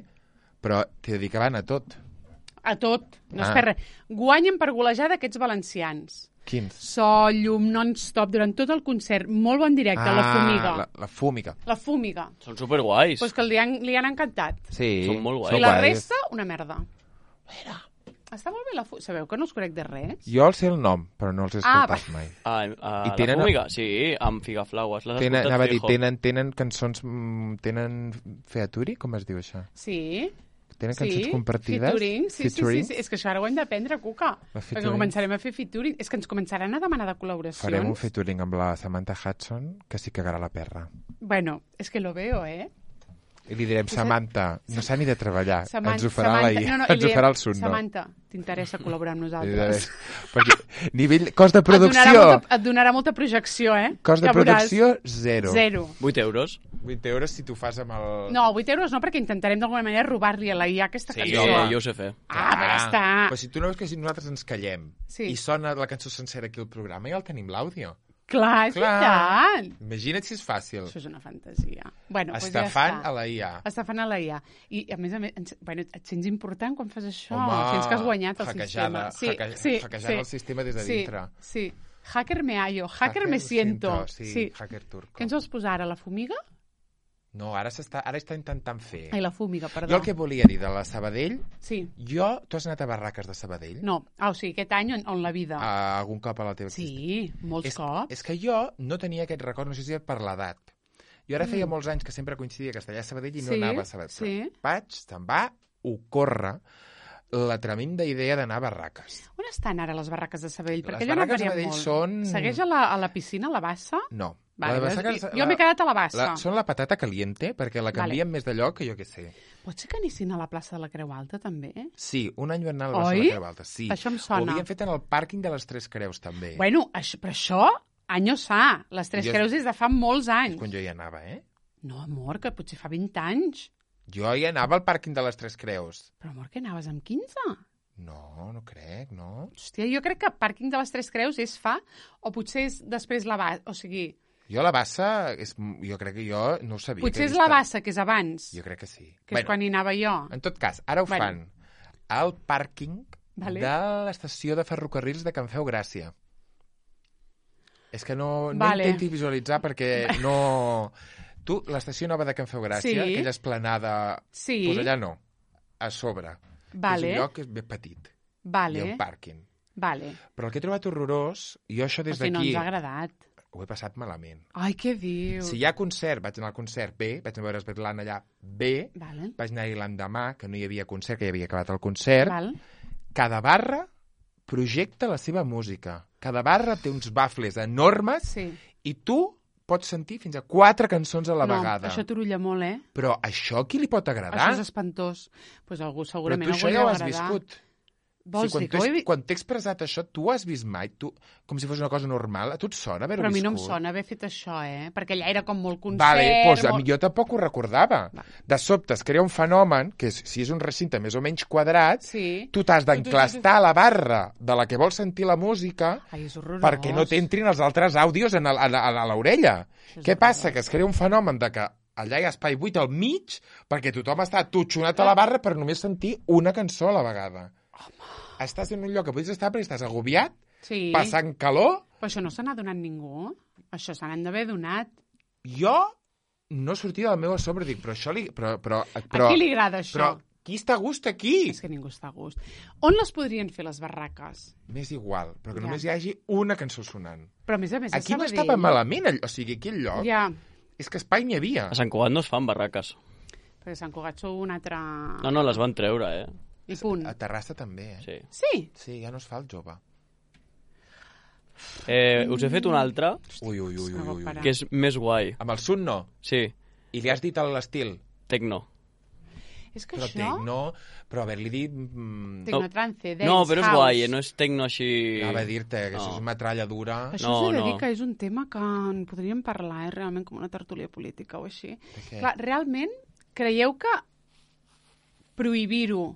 Però t'he de dir que van a tot. A tot, no Ah. es perd res. Guanyen per golejada aquests valencians. Quins? So, llum, non-stop, durant tot el concert, molt bon directe, la Fúmiga. La, la fúmiga. La Fúmiga. Són superguais. Pues que li han, li han encantat. Sí. Són molt guais. I Són la guais. resta, una merda. Està molt bé la Fúmiga. Sabeu que no us conec de res? Jo els sé el nom, però no els he Ah, escoltat mai. Ah, a, I I tenen- la fúmiga? Sí, amb Figaflaues. L'has Tenen, escoltat, anava a dir, fijo? tenen, tenen cançons... mm, Tenen featuri? Com es diu això? Sí. Tenen cançons sí. compartides? Featuring, sí, Featuring? sí, sí, sí. És que això ara ho hem d'aprendre, Cuca. La Perquè featuring. començarem a fer featuring. És que ens començaran a demanar de col·laboracions. Farem un featuring amb la Samantha Hudson, que sí cagarà la perra. Bueno, és que lo veo, eh? I li direm, Samantha, no s'ha ni de treballar, Saman- ens ho farà Samantha- la I A, no, no, i ens li ho diem, farà el Sunno. Samantha, t'interessa col·laborar amb I nosaltres? de- Perquè, nivell, cost de Et donarà, producció, molta, et donarà molta projecció, eh? cost de Que veuràs. producció, zero. Zero. vuit euros. vuit euros si tu fas amb el... No, vuit euros no, perquè intentarem d'alguna manera robar-li a la I A aquesta Sí, cançó. jo, jo ho sé fer. Ah, però ja està. Però si tu no veus que si nosaltres ens callem Sí. i sona la cançó sencera aquí al programa, ja el tenim l'àudio. Clar, és veritat. Imagina't si és fàcil. Això és una fantasia. Bueno, doncs ja Estafant està. a la I A. Estafant a la I A. I, a més a més, ens, bueno, et sents important quan fas això. Home, Sents que has guanyat el hackejada, sistema. hacke- hackejant el sistema des de sí, dintre. Sí, hacker me hallo, hacker, me siento. Sí, sí. hacker turco. Què ens vols posar ara, la Fúmiga? No, ara s'està ara està intentant fer. Ai, la Fúmiga, perdó. Jo el que volia dir de la Sabadell, Sí. jo... Tu has anat a barraques de Sabadell? No, ah, o sigui, aquest any on, on la vida. A algun cop a la teva Sí, molts és, cops. és que jo no tenia aquest record, no sé si és per l'edat. Jo ara feia molts anys que sempre coincidia Castellà a Sabadell i no Sí, anava a Sabadell. sí. Vaig, se'm va ocórrer la tremenda idea d'anar a barraques. On estan ara les barraques de Sabadell? Les Perquè allò no barraques de varia Sabadell molt. són- Segueix a la, a la piscina, a la bassa? No. Vale, La de jo- barraques- jo m'he quedat a la bassa. La, són la patata caliente, perquè la canvien Vale. més de lloc que jo què sé. Pot ser que anessin a la plaça de la Creu Alta, també? Sí, un any van anar a la plaça Oi? de la Creu Alta. Sí. Això em sona. Ho havien fet en el pàrquing de les Tres Creus, també. Bueno, això, però això, anys sa. Les Tres Jo- Creus des de fa molts És anys. quan jo hi anava, eh? No, amor, que potser fa vint anys. Jo hi anava al pàrquing de les Tres Creus. Però, amor, que anaves amb quinze? No, no crec, no. Hòstia, jo crec que pàrquing de les Tres Creus és fa, o potser és després la bassa, o sigui, Jo la bassa, és, jo crec que jo no ho sabia. potser que és he la vist- bassa, que és abans, Jo crec que sí. que és quan hi anava jo. En tot cas, ara ho Bueno. fan al pàrquing Vale. de l'estació de ferrocarrils de Can Feu Gràcia. És que no, no Vale. intenti visualitzar perquè no... Tu, l'estació nova de Can Feu Gràcia, Sí. aquella esplanada... Sí. Doncs allà no, a sobre. Vale. És un lloc que és ben petit. I Vale, el pàrquing. vale. Però el que he trobat horrorós, i jo això O des sigui, no d'aquí ens ha agradat. ho he passat malament. Ai, què diu? Si hi ha concert, vaig anar al concert bé, vaig anar a veure Svetlana allà bé, Vale. vaig anar-hi l'endemà, que no hi havia concert, que ja havia acabat el concert. Val. Cada barra projecta la seva música. Cada barra té uns bafles enormes Sí. i tu pots sentir fins a quatre cançons a la no, vegada. això t'orulla molt, eh? Però això a qui li pot agradar? Això és espantós. Doncs pues algú Però segurament tu algú això li ja ho deu has agradar. viscut. Vols sí, quan dir que ho he t'he vi- quan t'he expressat això, tu ho has vist mai? Tu, com si fos una cosa normal? A tu et sona haver-ho Però a mi viscut? no em sona haver fet això, eh? Perquè allà era com molt concert... Vale, doncs a molt... mi jo tampoc ho recordava. Vale. De sobte es crea un fenomen, que és, si és un recinte més o menys quadrat, Sí. tu t'has d'enclastar a la barra de la que vols sentir la música Ai, és horrorós. perquè no t'entrin els altres àudios en el, a, la- a l'orella. Això és Què passa? Que es crea un fenomen de que allà hi ha espai buit al mig perquè tothom està tutxonat a la barra per només sentir una cançó a la vegada. Estàs en un lloc que pots estar perquè estàs agobiat, Sí. passant calor. Però això no se n'ha donat ningú. Això se n'han d'haver donat. Jo no sortia del meu assombra, dic, però això li... Però, però, però, A qui li agrada això? Però qui està a gust aquí? És que ningú està a gust. On les podrien fer, les barraques? M'és igual, però que Ja. només hi hagi una cançó sonant. Però a més a més, a Aquí no Sabadell... estava malament, all- o sigui, aquell lloc, Ja, és que espai n'hi havia. A Sant Cugat no es fan barraques. perquè Sant Cugat sou un altre... No, no, les van treure, eh? I punt. A Terrassa també, eh? Sí. Sí? Sí, ja no es fa el jove. Eh, us he fet una altra, Ui, ui, ui, ui, ui. Parar. que és més guai. Amb el Sun no. Sí, I li has dit a l'estil. tecno. És que però això... tecno, però haver-li dit... Mm, Tecnotrance, dance, No, però és house. guai, no és tecno així... anava a dir-te que No. això és metralla dura. Això No, us he de no. dir que és un tema que en podríem parlar, eh, realment, com una tertúlia política o així. què? Clar, realment, creieu que prohibir-ho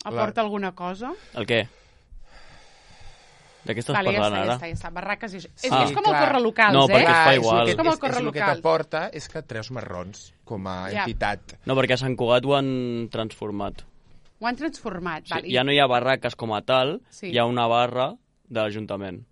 aporta La- alguna cosa? El què? De què estàs Vale, ja parlant està, ja ara? està, ja està. Barraques i això. És, Ah. és com el Clar. corre locals, No, eh? perquè es fa Clar, igual. És, el Com que, el és, corre és el que local. t'aporta és que treus marrons com a Ja. entitat. No, perquè a Sant Cugat ho han transformat. Ho han transformat. Sí, Vale, ja no hi ha barraques com a tal, Sí. hi ha una barra de l'Ajuntament.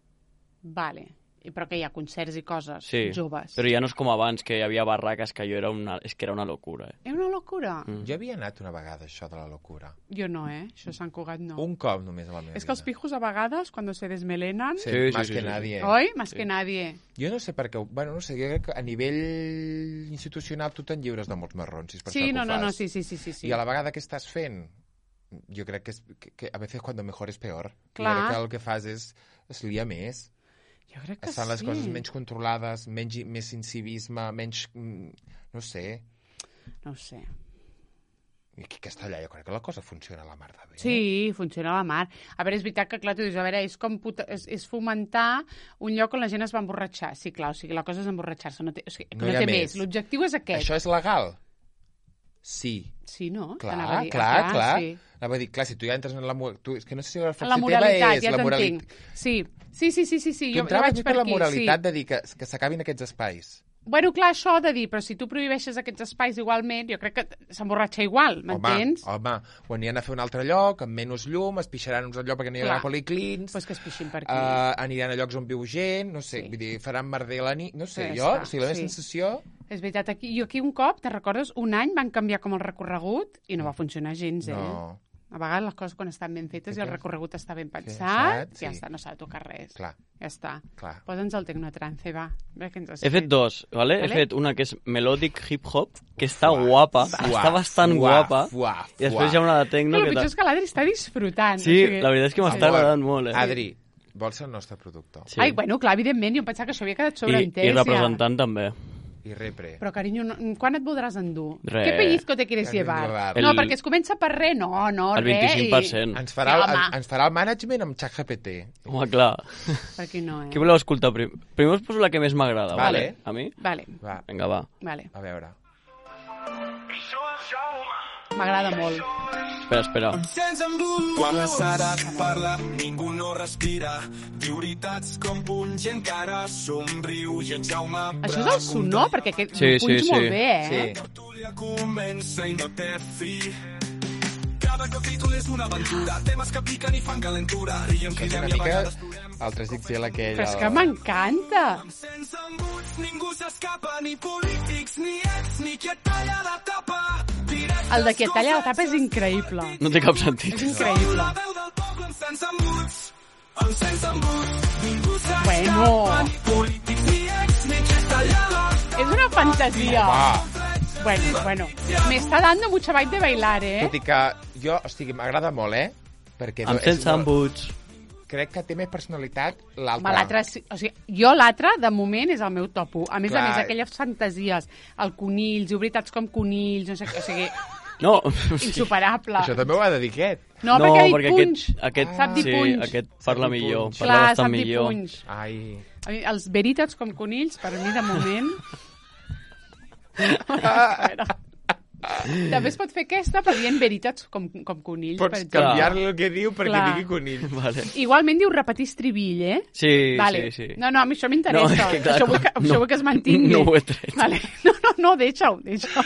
Vale. I però que hi ha concerts i coses Sí, joves. però ja no és com abans, que hi havia barraques que jo era una... És que era una locura, eh? És una locura. Mm. Jo havia anat una vegada, això de la locura. Jo no, eh? Això Sant Cugat no. Un cop només a la meva És que els vida. pijos a vegades, cuando se desmelenan... Sí, Sí, sí, más sí, que sí. nadie. Oi? Más que nadie. Jo no sé per què... Bueno, no sé, jo crec que a nivell institucional tu te'n lliures de molts marrons, si és per Sí, això que no, ho no, fas. no, sí, sí, sí, sí. sí. I a la vegada que estàs fent, jo crec que, és, que, que a vegades cuando mejor es peor. Clar. Jo crec que el que fas és es lia més. Jo crec que Es fan les sí. coses menys controlades, menys, més incivisme, menys... mm, No sé. No ho sé. I aquí a Castellà jo crec que la cosa funciona a la mar de bé. Sí, funciona a la mar. A veure, és veritat que, clar, tu dius, a veure, és, com puta, és, és fomentar un lloc on la gent es va emborratxar. Sí, clar, o sigui, la cosa és emborratxar-se, no té, o sigui, No no hi ha té més. més. L'objectiu és aquest. Això és legal? Sí. Sí, no? Clar, T'anava a dir, clar, ah, clar. Sí. Anava a dir, clar, si tu ja entres en la... mo- Tu, és que no sé si la En reflexió la moralitat, teva és ja la t'entenc. moralitat. Sí. Sí, sí, sí, sí, sí. Tu jo, jo entraves vaig més per per la aquí, moralitat sí. de dir que, que s'acabin aquests espais. Bueno, clar, això de dir, però si tu prohibeixes aquests espais igualment, jo crec que s'emborratxa igual, m'entens? Home, home, ho aniran a fer a un altre lloc, amb menys llum, es pixaran en un altre lloc perquè no hi haurà Clar. policlins, Pues que es pixin per aquí. uh, aniran a llocs on viu gent, no sé, Sí. vull dir, faran merder la nit, no sé, Ja jo, està, o sigui, la meva sí. sensació... És veritat, aquí, jo aquí un cop, te'n recordes, un any van canviar com el recorregut i no va funcionar gens, eh? No, A vegades les coses quan estan ben fetes Sí, i el clar. recorregut està ben Pensat, pensat, sí. ja està, no s'ha de tocar res. clar, Ja està. clar. Posa'ns el tecnotrance, va. Ve que ens has He fet dos, ¿vale? Vale. He fet una que és melodic hip-hop, que està Fuà, guapa, fuà, està bastant fuà, guapa, fuà, i després fuà. hi ha una de No, tecno el que... pitjor ta- és que l'Adri està disfrutant. Sí, o sigui... la veritat és que m'està Amor, agradant molt, eh? Adri, vols ser el nostre productor? Sí. Ai, bueno, clar, evidentment, jo em pensava que això havia quedat I, sobreentès. I representant també. I repre. Però, carinyo, no, quan et voldràs endur? Re. Què pellizco te quieres Carinyo, llevar? va. No, El- perquè es comença per res. No, no, El res. vint-i-cinc per cent. Ens farà, Sí, el, home. ens farà el management amb ChatGPT. Home, clar. Per aquí no, eh? Què voleu escoltar prim? Primer us poso la que més m'agrada, Vale. vale? A mi? Vale, Va, Vinga, va. vale. a veure. M'agrada molt. Espera, espera. Quan la Sara parla, ningú no respira. Diu veritats com punys i encara somriu. I en Jaume Això és el sonor, perquè aquest Sí, ho punys sí, molt sí. bé, eh? Sí. tertúlia comença i no té fi. Cada capítol és una aventura. Temes que piquen i fan calentura. Riem, És cridem una i a mica vegades plorem. el tres X L aquell. Però és el- que m'encanta. Sense embuts, ningú s'escapa, ni polítics, ni ex, ni qui et talla la tapa. Directes El de qui et talla la tapa és increïble. No té cap sentit. És increïble. La veu del poble amb sense embuts. Amb sense embuts, ningú s'escapa, Bueno. ni polítics, ni ex, ni qui et talla la tapa. És una fantasia. Va, Bueno, bueno. Me está dando mucha vibe de bailar, eh? tot i que jo, o sigui, m'agrada molt, eh? Perquè Amb és sense molt- embuts. Crec que té més personalitat l'altre. Home, l'altre, sí- o sigui, jo l'altre, de moment, és el meu top u. A més Clar. a més, aquelles fantasies, el conills, diu veritats com conills, no sé què, o sigui, No, insuperable. Això també ho ha de dir aquest. No, no, perquè ha dit perquè punx. aquest, aquest, Sap dir sí, punx. aquest parla Sap dir millor, punx. parla Clar, bastant sap dir millor. punx. Ai... A mi, els veritats com conills, per mi, de moment... A veure. També es pot fer aquesta, però dient veritats com, com conills, per Pots exemple. canviar-li el que diu perquè Clar. digui conill. Vale. Igualment diu repetir estribill, eh? Sí, Vale. sí, sí. No, no, a mi això m'interessa. No, és que, clar, això, vull que, no- això vull que es mantingui. no ho he tret. Vale. No, no, no, deixa-ho, deixa-ho.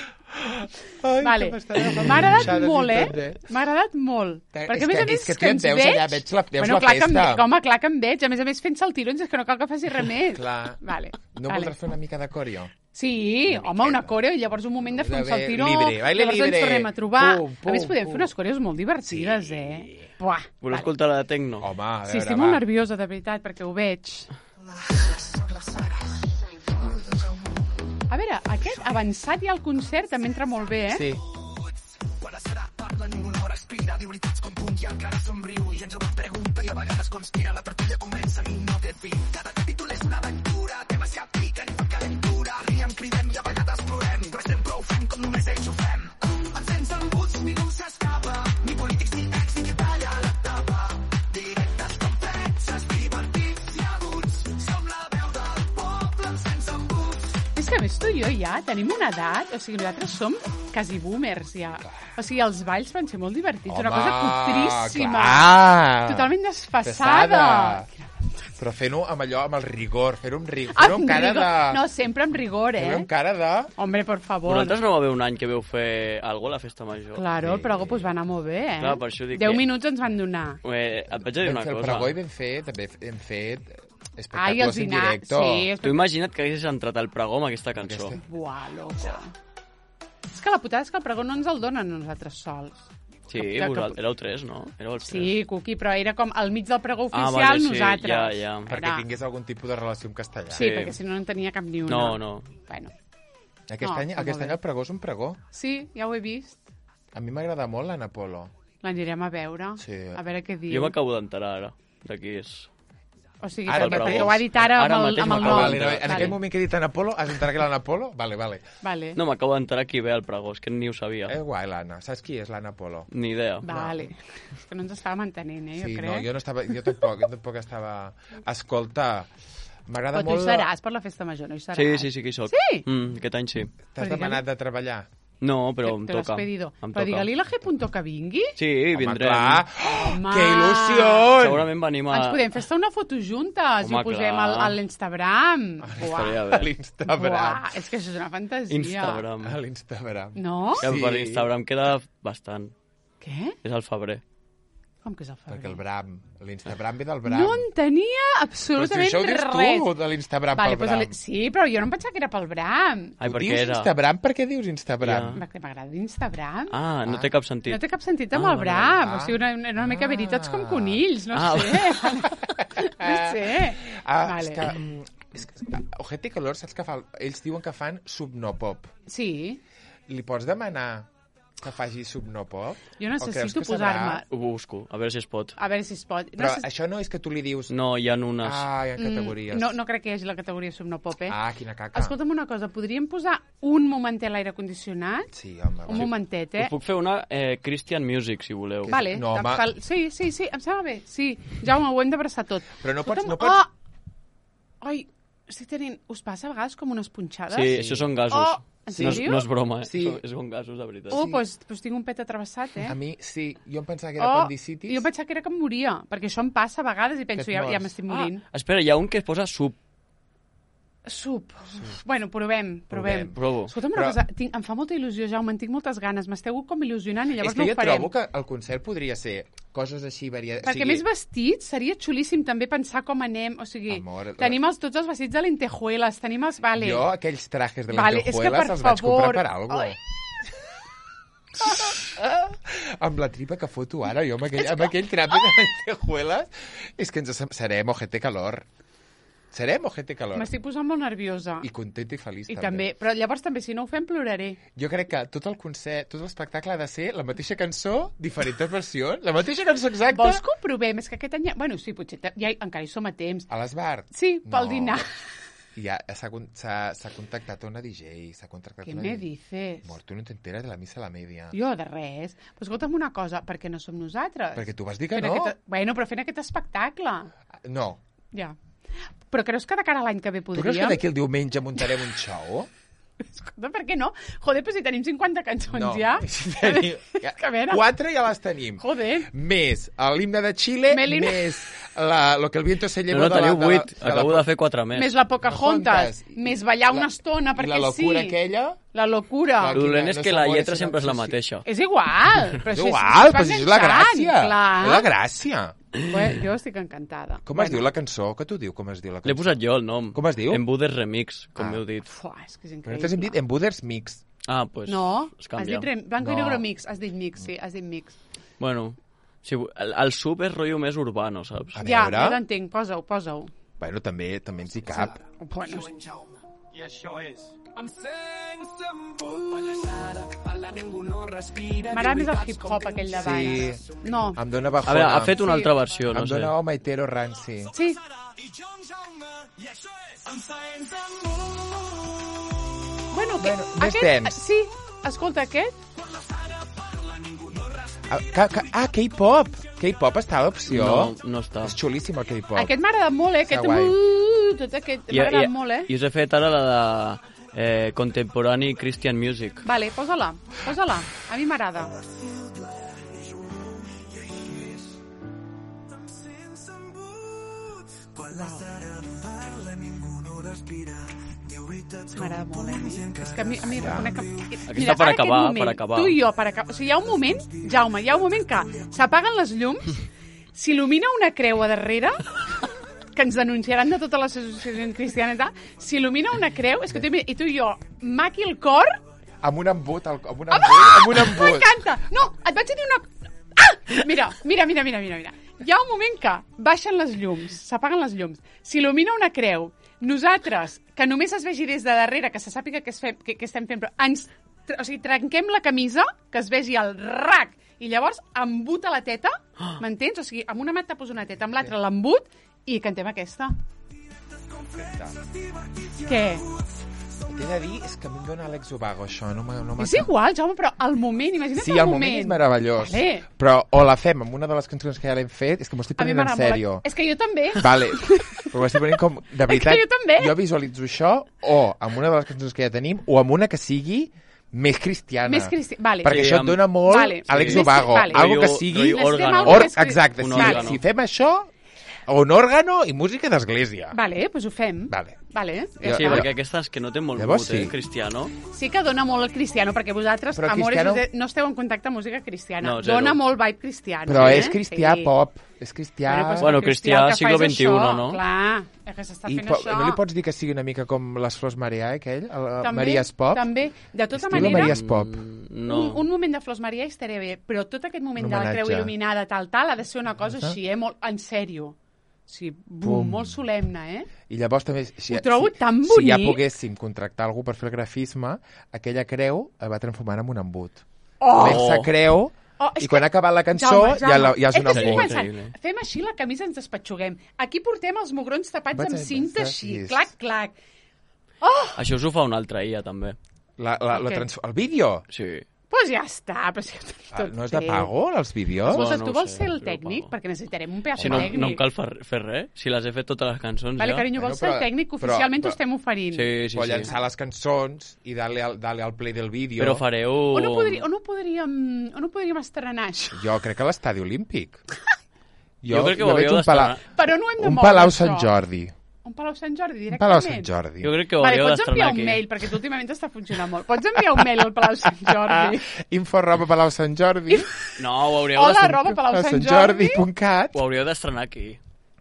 Ai, Vale. que m'està agafant M'ha agradat punxades i molt, tot, eh? M'ha agradat molt. És Perquè, a que- més a més, és que tu ja et ens veus veig... allà, veig la- veus bueno, la clar que em festa. veig, home, clar que em veig. A més a més, fent saltirons, és que no cal que faci res més. Clar. Vale. No vale. voldràs fer una mica de coreo? Sí, Una home, una miqueta. coreo, i llavors un moment de fer un De saltiró, libre, baile llavors libre. ens tornem a trobar. Pum, pum, a més, podem pum. fer unes coreos molt divertides, sí. eh? Buah, Voleu vale. escoltar la de Tecno? Home, a veure, Sí, estic va. molt nerviosa, de veritat, perquè ho veig. A veure, aquest avançat ja al concert també entra molt bé, eh? Sí. ja, tenim una edat, o sigui, nosaltres som quasi boomers, ja. O sigui, els balls van ser molt divertits, Home, una cosa cutríssima. clar. Totalment desfassada. Pesada. Però fent-ho amb allò, amb el rigor, fer-ho amb rigor, fer-ho amb cara rigor. de... No, sempre amb rigor, eh? Fer-ho amb cara de... Hombre, por favor. Vosaltres no va haver un any que veu fer alguna a la festa major? Claro, el pregó pues, va anar molt bé, eh? Clar, per això dic Deu que- minuts ens van donar. Eh, et vaig a dir Vam una fer el cosa. pregó i vam fer, també hem fet Ai, espectacles els en dinars, directo. sí. Tu imagina't que haguessis entrat al pregó amb aquesta cançó. Aquesta- Buah, loco. És que la putada és que el pregó no ens el donen nosaltres sols. Sí, Que- que- vosaltres, éreu tres, no? Éreu els tres. Sí, Cuqui, però era com al mig del pregó Ah, oficial, vale, sí, nosaltres. ja, ja. Perquè Era- tingués algun tipus de relació amb castellà. Sí, Sí. perquè si no, no en tenia cap ni una. No, no. Bueno, Aquest No, any, està aquest molt any bé. el pregó és un pregó. sí, ja ho he vist. A mi m'agrada molt l'Anna Polo. L'anirem a veure, Sí. a veure què diu. Jo m'acabo d'enterar ara, de qui és. O sigui, Ara perquè, mateix. perquè ho ha dit ara, Ara amb el, mateix amb el m'acabo nom. Ah, vale, no, en Vale. aquell moment que he dit Anna Polo, has enterat que l'Anna Polo? Vale, vale. Vale. No, m'acabo d'enterar qui ve al pregó, és que ni ho sabia. És guai, l'Anna. Saps qui és l'Anna Polo? Ni idea. Vale. És que no ens estàvem entenent, eh, jo Sí, crec. no, jo no estava... Jo tampoc, jo tampoc estava... Escolta, m'agrada Però tu molt... hi seràs per la festa major, no hi seràs? Sí, sí, sí que hi soc. Sí? Mm, aquest any sí. T'has Però demanat de treballar? No, però em Te l'has toca. pedido. Em Però toca. digue-li a la G. que vingui. Sí, Home, vindrem. clar. Home. Que il·lusió! Segurament venim a... Ens podem fer una foto juntes i Home, ho posem clar. al, a l'Instagram. Estaria A bé. l'Instagram. Buah, és que això és una fantasia. Instagram. A l'Instagram. No? Que per Sí. Instagram queda bastant. Què? És al febrer. Com que és el febrer? Perquè el Bram, l'Instagram ve del Bram. No en tenia Però si absolutament això ho dius res. tu, de l'Instagram Vale, pel pues Bram. el- sí, però jo no em pensava que era pel Bram. Ai, Tu per què dius era? Instagram? Per què dius Instagram? Perquè m'agrada Instagram. Ah, no Ah. té cap sentit. No té cap sentit amb Ah, el vale, Bram. vale. O sigui, una, una mica Ah. veritats com conills, no Ah, sé. no sé. Ah, Vale. és que... mm, És que Ojete i Calor, saps que fa... Ells diuen que fan subnopop. Sí, Li pots demanar que faci subnopop? jo O creus necessito que sabrà? posar-me... Ho busco, a veure si es pot. A veure si es pot. Però Necess- això no és que tu li dius... No, hi ha unes... Ah, hi ha categories. Mm, no, no crec que hi hagi la categoria subnopop, eh? Ah, quina caca. Escolta'm una cosa, podríem posar un momentet a l'aire condicionat? Sí, home. Un va. momentet, eh? Us puc fer una eh, Christian Music, si voleu. Que- Vale, No, em home. fa el- sí, sí, sí, em sembla bé. Sí, Jaume, ho hem d'abraçar tot. Però no pots... Escolta'm, No pots... Oh! Ai, estic tenint... Us passa a vegades com unes punxades? Sí, això són gasos. Oh, en no, és, sèrio? no és broma, eh? Sí. Són, són gasos, de veritat. Oh, Sí. doncs pues, pues tinc un pet atravessat, eh? A mi, sí. Jo em pensava que era Oh, apendicitis. jo pensava que era que em moria, perquè això em passa a vegades i penso, Que et ja, ja mors. m'estic morint. Ah, espera, hi ha un que es posa sub. Sup. Bueno, provem, provem. Provem. Provo. Escolta'm una Però- cosa, tinc, em fa molta il·lusió, Jaume, en tinc moltes ganes, m'esteu com il·lusionant i llavors És que no jo ho farem. trobo que el concert podria ser coses així variades. Perquè més vestits seria xulíssim també pensar com anem, o sigui, Amor, tenim els, tots els vestits de lentejuelas, tenim els... Vale. Jo aquells trajes de Vale, és que, lentejuelas per els vaig favor. comprar per algo. Ai. Amb la tripa que foto ara, jo amb aquell, amb aquell trape de lentejuelas, és que ens sem- serem ojete calor. Serem ojete calor. M'estic posant molt nerviosa. I content i feliç, I també. Però llavors també, si no ho fem, ploraré. Jo crec que tot el concert, tot l'espectacle ha de ser la mateixa cançó, diferents versions, la mateixa cançó exacta, Vols que ho provem? És que aquest any... Ja... Bueno, sí, potser te- ja, encara hi som a temps. a l'Esbart. Sí, pel No. dinar. I ja s'ha con- s'ha s'ha contactat una D J, s'ha contractat Què una me D J. dices? Amor, tu no t'enteres de la missa a la media. Jo, de res. Però escolta'm una cosa, per què no som nosaltres? Perquè tu vas dir que Fent no. Aquest... Bueno, però fent aquest espectacle. No. Ja. Però creus que de cara a l'any que ve Tu podríem? creus que d'aquí el diumenge muntarem un show? Escolta, per què no? Joder, però si tenim cinquanta cançons No. ja. Si tenim... ja, Que a veure. Quatre ja les tenim. Joder. Més l'himne de Xile, Melina. més la, lo que el viento se No, llevó no, de la... teniu de la- vuit. de la- Acabo de fer quatre més. Més la Pocahontas, Pocahontas. més ballar una La- estona, I perquè la locura sí. aquella... La locura. Clar, El dolent Quina- és no que la s'amores, lletra sinó sempre és la obsessió. mateixa. És igual. Però És això igual, va però si és la enganxant, gràcia. Clar. És la gràcia. Bueno, jo estic encantada. Com es diu la cançó? Què tu diu com es diu la cançó? L'he posat jo, el nom. Com es diu? Embudes Remix, com Ah. m'heu dit. Fuà, és que és Però increïble. nosaltres hem dit Embuders Mix. Ah, doncs pues, No, es has canvia. dit rem, blanco No. i negro mix, has dit mix, sí, has dit mix. Bueno, si, el, el sub és rotllo més urbano, saps? A Ja, veure. ja t'entenc, posa-ho, posa-ho. Bueno, també també ens hi cap. Bueno, I això és... m'agrada més el hip-hop aquell de baix. Sí. No. Em dóna A bajona. veure, ha fet una Sí. altra versió, no Em sé. dóna home hetero ranci. Sí, bueno, que, Bueno, més aquest, temps. sí, escolta, aquest, Ah, ca- ca- ah, K-pop. K-pop està a l'opció. No, no està. És xulíssim el K-pop. aquest m'ha agradat molt, eh? Aquest, guai. uh, tot aquest, I, m'ha i, agradat molt, eh? I us he fet ara la de Eh, contemporary Christian music. Vale, posa-la, posa-la. A mi m'agrada. M'agrada molt, eh? És que a mi, a mi reconec que... Aquesta per ara acabar, aquest moment, per acabar. Tu i jo, per acabar. O sigui, hi ha un moment, Jaume, hi ha un moment que s'apaguen les llums, s'il·lumina una creu a darrere, que ens denunciaran de totes les associacions cristianes, i tal, s'il·lumina una creu, és que tu, i tu i jo, maqui el cor... Amb un embut, amb un embut, amb un embut. M'encanta! No, et vaig dir una... Ah! Mira, mira, mira, mira, mira, mira. Hi ha un moment que baixen les llums, s'apaguen les llums, s'il·lumina una creu, nosaltres, que només es vegi des de darrere, que se sàpiga què, es fem, què, què estem fent, però ens, o sigui, trenquem la camisa, que es vegi el rac, i llavors embuta la teta, m'entens? O sigui, amb una mà et tapos una teta, amb l'altra l'embut, i cantem aquesta. Què? T'he de dir, és que a mi em dona Àlex Ubago, això. No m'ha, no m'ha... És igual, Jaume, però el moment, imagina't sí, el, el moment és meravellós. Vale. Però o la fem amb una de les cançons que ja l'hem fet, és que m'ho estic A mi prenent en m'agrada molt. sèrio. És que jo també. Vale, però m'ho estic prenent com... De veritat, jo també. jo visualitzo això o amb una de les cançons que ja tenim o amb una que sigui més cristiana. Més cristiana, vale. Perquè Sí, això et amb- dona molt Vale. Àlex Sí. Ubago. Vale. Algo que Rotllo- sigui... rotllo Necessitem òrgano. algo Or, més cris- exacte, Un si, òrgano. si fem això, o un òrgano i música d'església. Vale, doncs ho fem. Vale. Vale. Jo- Sí, jo- perquè aquesta és que no té molt Llavors mut, eh, sí. cristiano. Sí que dona molt el cristiano, perquè vosaltres, Però amores, cristiano- no esteu en contacte amb música cristiana. No, zero. Dona molt vibe cristiano. Però eh? és cristià Sí. pop. És cristià... Bueno, pues, Bueno, el cristià el que fa siglo és veintiuno, això. no? Clar, és que s'està I fent po això. no li pots dir que sigui una mica com les Flors Maria, eh, aquell? El, el També, Maries Pop? També. De tota Estilo manera, Maries Pop. Mm, no. un, un moment de Flors Maria estaria bé, però tot aquest moment Un de la creu homenatge. il·luminada, tal, tal, ha de ser una cosa Ah. així, eh? Molt, en sèrio. Sí, bum, Bum. molt solemne, eh? I llavors també... Si, Ho trobo si, tan Si ja bonic. poguéssim contractar algú per fer el grafisme, aquella creu el va transformar en un embut. Oh! Comença creu Oh, és i quan que- ha acabat la cançó Jaume, ja, la, ja és és un que estic embut. pensant, Increïble. fem així la camisa, ens despatxuguem. Aquí portem els mugrons tapats Vaig amb a- cinta vaig a- així, yes. clac, clac. Això us ho fa una altra I A, també. La, la, la Què? trans... El vídeo? Sí. Doncs pues ja està, però si ho tenim Ah, tot no és de fet. pago, els vídeos? Escolta, Bueno, tu no ho vols sé, ser el si lo tècnic? pago. Perquè necessitarem un pedaç Si no, tècnic. no em cal fer, fer res. Si les he fet totes les cançons Vale, ja. carinyo, vols Bueno, ser el però- tècnic? però- Oficialment però- t'ho estem oferint. Sí, sí, o sí. llançar les cançons i darle al, darle al play del vídeo. Però fareu... O no, podri, o, no podríem, o no podríem estrenar això? Jo crec que a l'estadi olímpic. Jo crec que ho veig hauríeu un, pala... d'estrenar. Però no hem de un moure Palau això. Sant Jordi. Un Palau Sant Jordi, Un directament? Palau Sant Jordi. Jo crec que ho Vale, hauríeu pots enviar d'estrenar un aquí. mail, perquè tu últimament està funcionant molt. Pots enviar un mail al Palau Sant Jordi? Info arroba palau sant jordi. No, ho hauríeu Hola, d'estrenar... arroba Palau Sant Sant Jordi. Jordi punt cat. Ho hauríeu d'estrenar aquí.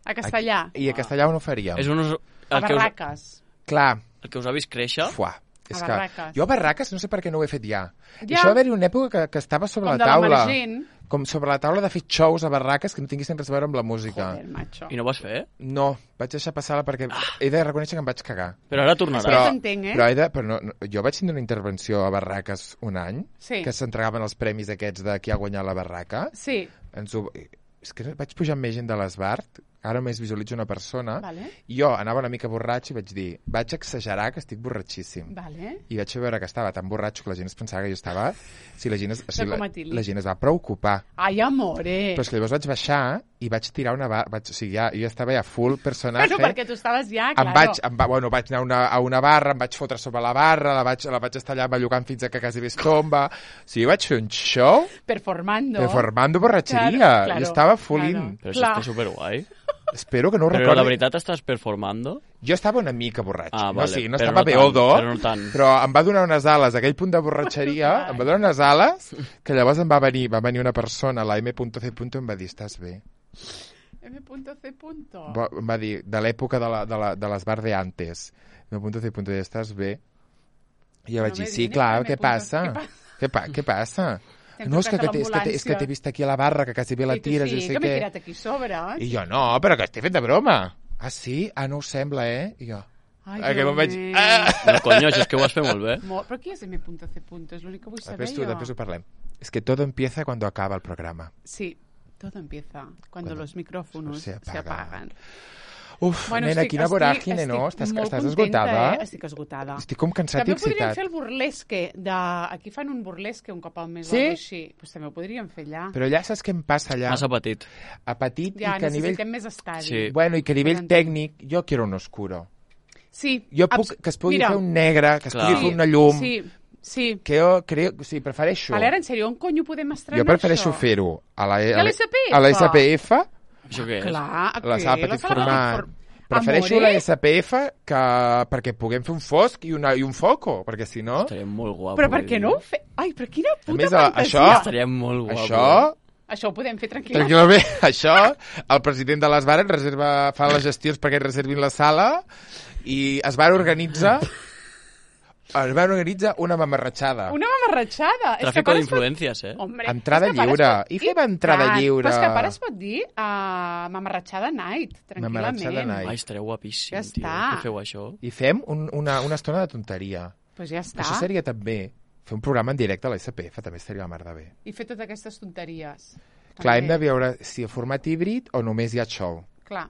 A castellà. I a castellà on ho faríem? És un... us- A El que, us, Barraques. Clar, el que us ha vist créixer... fuà. És A que Barraques. jo a Barraques no sé per què no ho he fet ja. Ja. Això va haver-hi una època que, que estava sobre Com la de taula. l'emergent. Com sobre la taula de fer shows a Barraques que no tinguessin res a veure amb la música. Joder, macho. I no ho vas fer? No, vaig deixar passar-la perquè he de reconèixer que em vaig cagar. Però ara tornarà. Però- t'entenc, eh? però, he de, però no, no, jo vaig tindre una intervenció a Barraques un any, Sí. que s'entregaven els premis aquests de qui ha guanyat la barraca. Sí, Ens ho, és que vaig pujar amb més gent de l'Esbart, ara més visualitzo una persona, vale, i jo anava una mica borratx i vaig dir, vaig exagerar que estic borratxíssim. vale. I vaig veure que estava tan borratxo que la gent es pensava que jo estava... Si la gent es, si la, com a Tilly. la gent es va preocupar. Ai, amore. Però és que llavors vaig baixar i vaig tirar una barra... Vaig, o sigui, ja, jo estava ja full personatge. Bueno, perquè tu estaves ja, em claro. vaig, em va, bueno, vaig anar a una, a una barra, em vaig fotre sobre la barra, la vaig, la vaig estar allà bellugant fins a que quasi es tomba. O sigui, vaig fer un show Performando. performando borratxeria. Claro, claro, jo estava full claro. in. Però això Clar. està superguai. Espero que no ho Però recordi. la veritat estàs performando? Jo estava una mica borratx. Ah, no, vale, sí, no però estava no tant, beodo, però no tant. però em va donar unes ales, aquell punt de borratxeria, em va donar unes ales, que llavors em va venir, va venir una persona, la M C. i em va dir, estàs bé? M C. Va, em va dir, de l'època de, la, de, la, de les bar de antes. M C. i estàs bé? I jo vaig dir, m'he sí, dit, clar, M. què passa? Què pa- Què, pa què passa? T'hem No, és que, trucat a que, és, que, és que t'he vist aquí a la barra, que quasi bé la I tu tires, sí, i sé que m'he què. tirat aquí a sobre. eh? I jo, no, però que estic fent de broma. Ah, sí? Ah, no ho sembla, eh? I jo... Ai, Ah, que me'n vaig... Déu Ah! No, coño, això és que ho has fet molt bé. meu. Molt- Però qui és M C? És l'únic que vull saber Després, tu, jo. després ho parlem. Es que todo empieza cuando acaba el programa. Sí, todo empieza cuando, Cuando los micrófonos se se, apagan. apagan. Uf, nena, quina voràgine, no? Estàs, molt estàs contenta, esgotada? Eh? Estic esgotada. Estic com cansat També i podríem excitat. fer el burlesque. De... Aquí fan un burlesque un cop al mes Sí? o alguna cosa així. Pues també ho podríem fer allà. Però allà saps què em passa allà? Massa petit. A petit Ja, i que a nivell... necessitem més estadi. Sí. Bueno, i que a nivell Per entendre. tècnic jo quiero un oscuro. Sí. Jo puc, abs- que es pugui Mira, fer un negre, que es Clar. pugui fer una llum, Sí, sí. que jo crec, sí, prefereixo. Vale, ara, en sèrio, on conyo podem estrenar Jo prefereixo això? fer-ho a la, I a l'S P F? a la S P F, Això què és? Clar, la què? sala petit sala format. for- Prefereixo Amore? la S P F que perquè puguem fer un fosc i, una, i un foco, perquè si no... Estaria molt guapo. Però per vull què dir. no ho fe... Ai, però quina puta més, a- fantasia! això- Estaria molt guapo. Això, Això ho podem fer tranquil·lament. tranquil·lament, això, el president de les Bares reserva, fa les gestions perquè reservin la sala i es van organitzar es van organitzar una mamarratxada. Una mamarratxada. És que a Tràfico part es pot- d'influències, eh? Hombre, Entrada és que a part lliure. es pot- I fem entrada tant, lliure. Però és que a part es pot dir uh, mamarratxada night, tranquil·lament. Mamarratxada night. Ai, estaria guapíssim, Ja tio. està. Que feu això? I fem un, una, una estona de tonteria. Pues ja està. Això seria també fer un programa en directe a la S P F, també estaria la mar de bé. I fer totes aquestes tonteries. Clar, hem També. de veure si a format híbrid o només hi ha show. Clar.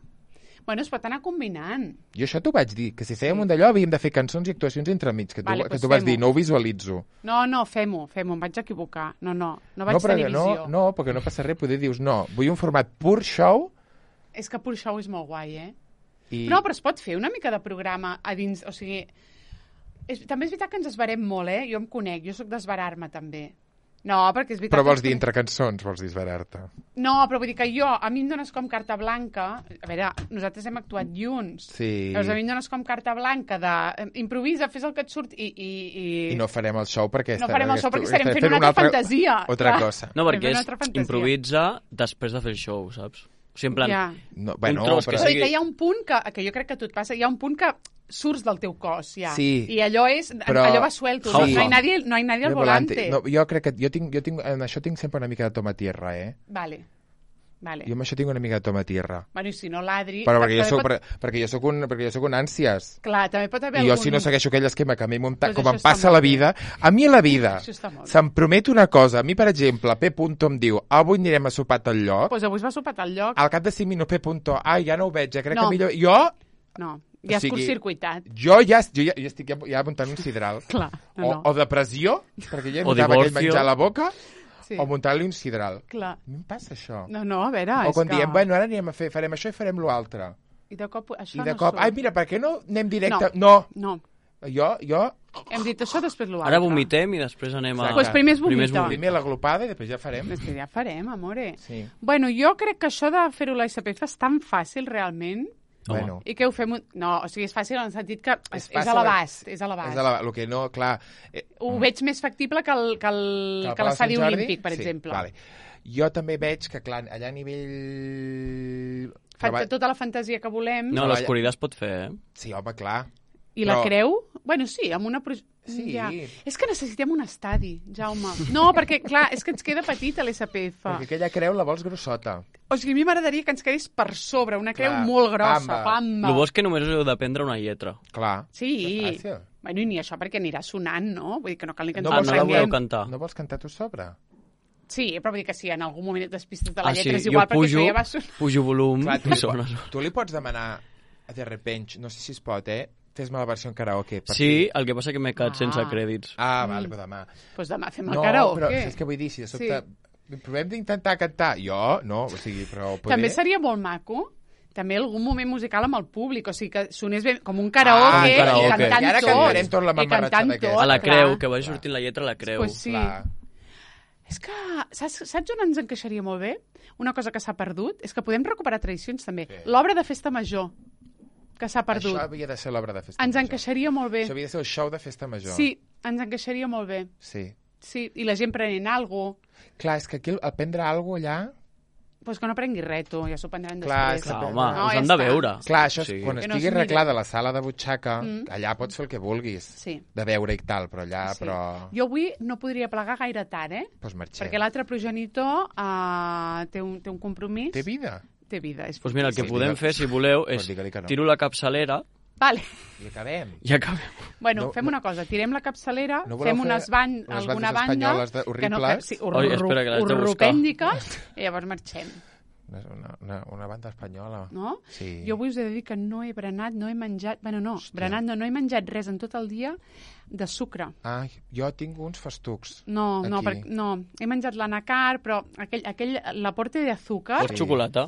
Bueno, es pot anar combinant. Jo això t'ho vaig dir, que si fèiem sí. un d'allò havíem de fer cançons i actuacions entremig, que tu, Vale, que pues tu vas fem-ho. dir, no ho visualitzo. No, no, fem-ho, fem-ho, em vaig equivocar. No, no, no vaig no, però, tenir no, visió. no, perquè no passa res, poder dius, no, vull un format pur show És que pur show és molt guai, eh? i... No, però es pot fer una mica de programa a dins, o sigui... És, també és veritat que ens esbarem molt, eh? Jo em conec, jo sóc d'esbarar-me també. No, perquè és veritat... Però vols que dir ens entre cançons, vols disbarar-te. No, però vull dir que jo, a mi em dones com carta blanca... A veure, nosaltres hem actuat junts. Sí. Llavors a mi em dones com carta blanca de... eh, Improvisa, fes el que et surt i... I, i... I no farem el show perquè... No estarà- farem el show perquè estarem estarem fent una altra fantasia. Otra Clar. cosa. No, Fem perquè una és altra fantasia. improvisa després de fer el show, saps? O sigui, en plan, Ja. No, bueno, un tros però... que Però sigui... que hi ha un punt que, que jo crec que a tu et passa, hi ha un punt que surts del teu cos, ja. Sí. I allò és... Però- Allò va suelto. Sí. No, no, hay nadie, no hay nadie al De volante. No, jo crec que... Jo tinc, jo tinc, en això tinc sempre una mica de toma tierra, eh? Vale. Vale. Jo amb això tinc una mica de toma tierra. Bueno, i si no l'Adri... Però perquè jo també soc, pot- per, perquè jo soc un, perquè jo soc un ànsies. Clar, també pot haver I jo, algun... si no segueixo aquell esquema que a mi munta, Doncs com això em està passa a molt la bé. vida, a mi a la vida Això està molt bé. se'm promet una cosa. A mi, per exemple, P. em diu, avui anirem a sopar a tal lloc. Pues avui es va sopar al lloc. Al cap de cinc minuts, P. ai, ja no ho veig, ja crec No. que millor... Jo, No, ja O és sigui, curtcircuitat. jo ja, jo ja, jo estic ja, ja muntant un sidral. Clar, no, O, no. o depressió, perquè ja O notava aquell divorcio. menjar a la boca, Sí. o muntar-li un sidral. Clar. A mi em passa això. No, no, a veure, o és quan que... diem, bueno, ara anirem a fer, farem això i farem l'altre. I de cop això I de no cop, surt. ai, mira, per què no anem directe? No. No. No, Jo, jo, hem dit això, després l'altre. Ara vomitem i després anem a... Exacte. Pues primer es Primer es vomita. vomita. primer l'aglopada i després ja farem. És que ja farem, amore. Sí. Bueno, jo crec que això de fer-ho a la S P F és tan fàcil, realment, Bueno, i que ho fem... Un... No, o sigui, és fàcil en el sentit que és, és, fàcil, a l'abast, és a l'abast. És a la, el que no, clar... Eh, Ho veig més factible que el- que el- al que Palau l'estadi Sant Jordi? olímpic, per Sí, exemple. Vale. Jo també veig que, clar, allà a nivell... Fa Treball- tota la fantasia que volem. No, l'oscuritat es pot fer, eh? Sí, home, clar. I la però- creu? Bueno, sí, amb una... Pro... Sí. Ja. És que necessitem un estadi, Jaume. No, perquè, clar, és que ens queda petita l'S P F. Perquè aquella creu la vols grossota. O sigui, a mi m'agradaria que ens quedés per sobre, una creu Clar, molt grossa. pamba. Pamba. El bo és que només heu d'aprendre una lletra. Clar. Sí. Que fàcil. Bueno, i ni això perquè anirà sonant, no? Vull dir que no cal ni que ens No Ah, ho no la aprenguem. voleu cantar? No vols cantar tu sobre? Sí, però vull dir que si en algun moment et despistes de la Ah, sí, lletra és jo igual, perquè pujo, això ja va sonar. pujo volum Clar, tu, i li, sona. pots, tu li pots demanar de repente, no sé si es pot, eh? Fes-me la versió en karaoke. Per Sí, fi. el que passa que m'he quedat Ah. sense crèdits. Ah, vale, però demà. Doncs pues demà fem el No, karaoke. però és que vull dir, si de sobte... Provem d'intentar cantar. Jo, no, o sigui, però... Poder... També seria molt maco també algun moment musical amb el públic, o sigui, que sonés bé, com un karaoke, Ah, un karaoke. i cantant I ara tot. cantarem tot la i cantant mamarratxada aquesta. tot, A la clar. creu, que vagi sortint la lletra a la creu. Pues sí. Clar. És que, saps, saps on ens encaixaria molt bé? Una cosa que s'ha perdut és que podem recuperar tradicions, també. Sí. L'obra de festa major, que s'ha perdut. Això havia de ser l'obra de festa Ens major. encaixaria molt bé. Això havia de ser el show de festa major. Sí, ens encaixaria molt bé. Sí. Sí, i la gent prenent alguna cosa. Clar, és que aquí el prendre alguna cosa allà... Pues que no prengui res, tu, ja s'ho prendran Clar, després. és que- Clar, home, No, us ja han de està. veure. Clar, això és, Sí. quan Que no estigui es miri. arreglada la sala de butxaca, Mm. allà pots fer el que vulguis. Sí. De veure i tal, però allà, Sí. però... Jo avui no podria plegar gaire tard, eh? Doncs marxem. Perquè l'altre progenitor uh, té, un, té un compromís. Té vida. Té vida. És Doncs mira, el que Sí, podem digue- fer, si voleu, Pues és digue-li que no. tiro la capçalera Vale. I acabem. i acabem. Bueno, No, fem no- una cosa, tirem la capçalera, No voleu fem fer unes ban unes alguna bandes banda... espanyoles de- que no, horribles? que, sí, Oi, espera, que les de buscar. urrupèndiques, i llavors marxem, Una, una, una banda espanyola. no? Sí. Jo avui us he de dir que no he berenat, no he menjat... Bueno, no, Hòstia. berenat no, no he menjat res en tot el dia de sucre. Ai, jo tinc uns festucs. No, no, Aquí. per, no, he menjat l'anacar, però aquell, aquell l'aporte d'azúcar... Vols xocolata?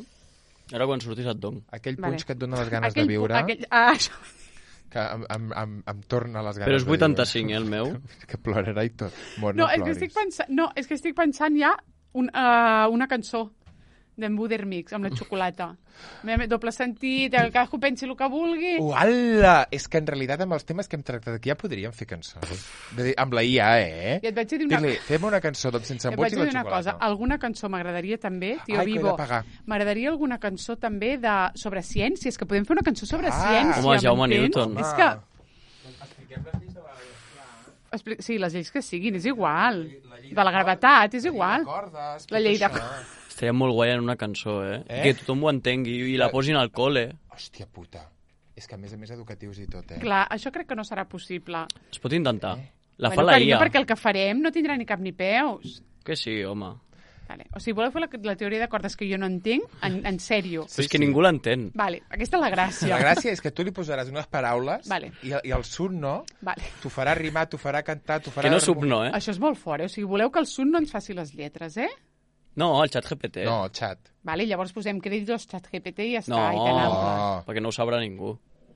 Ara quan surtis et dono. Aquell Vale. punx que et dona les ganes aquell, de viure. Aquell, ah, això, que em, em, em, em torna les ganes Però és de dir-ho. vuitanta-cinc, eh, el meu. Que plorarà i tot. Mort, No, no, és que ploris. estic pensant, no, és que estic pensant ja un, uh, una cançó d'en Buder Mix, amb la xocolata. Mem- Doble sentit, el cadascú pensi el que vulgui. Uala! És que en realitat amb els temes que hem tractat aquí ja podríem fer cançons. De dir, amb la I A, eh? I et vaig dir una, Dir-li, fem una cançó doncs, sense et embuts vaig i la dir una cosa. xocolata. Alguna cançó m'agradaria també, Tio Ai, que he Vivo. de pagar. M'agradaria alguna cançó també de sobre ciència. És que podem fer una cançó sobre Ah. ciència. Home, Jaume m'entens? Newton. És que... Expli- Sí, les lleis que siguin, és igual. De la gravetat, és igual. Cordes, La llei de... Estaria molt guai en una cançó, eh? Eh? Que tothom ho entengui i la posin al col·le. Hòstia puta. És que a més a més educatius i tot, eh? Clar, això crec que no serà possible. Es pot intentar. La fa bueno, la carinyo, I A. perquè el que farem no tindrà ni cap ni peus. Que sí, home. Vale. O sigui, voleu fer la, la teoria de cordes que jo no entenc? En, en sèrio. Però és que ningú l'entén. Vale, aquesta és la gràcia. La gràcia és que tu li posaràs unes paraules Vale. i, i el sun no, Vale. t'ho farà rimar, t'ho farà cantar, t'ho farà... Que no sub no, eh? Això és molt fort, eh? O sigui, voleu que el Sun no ens faci les lletres, eh? No, el xat G P T. No, xat. Vale, llavors posem crèdits xat G P T i ja està, No. i tan ample. Oh. Perquè no ho sabrà ningú.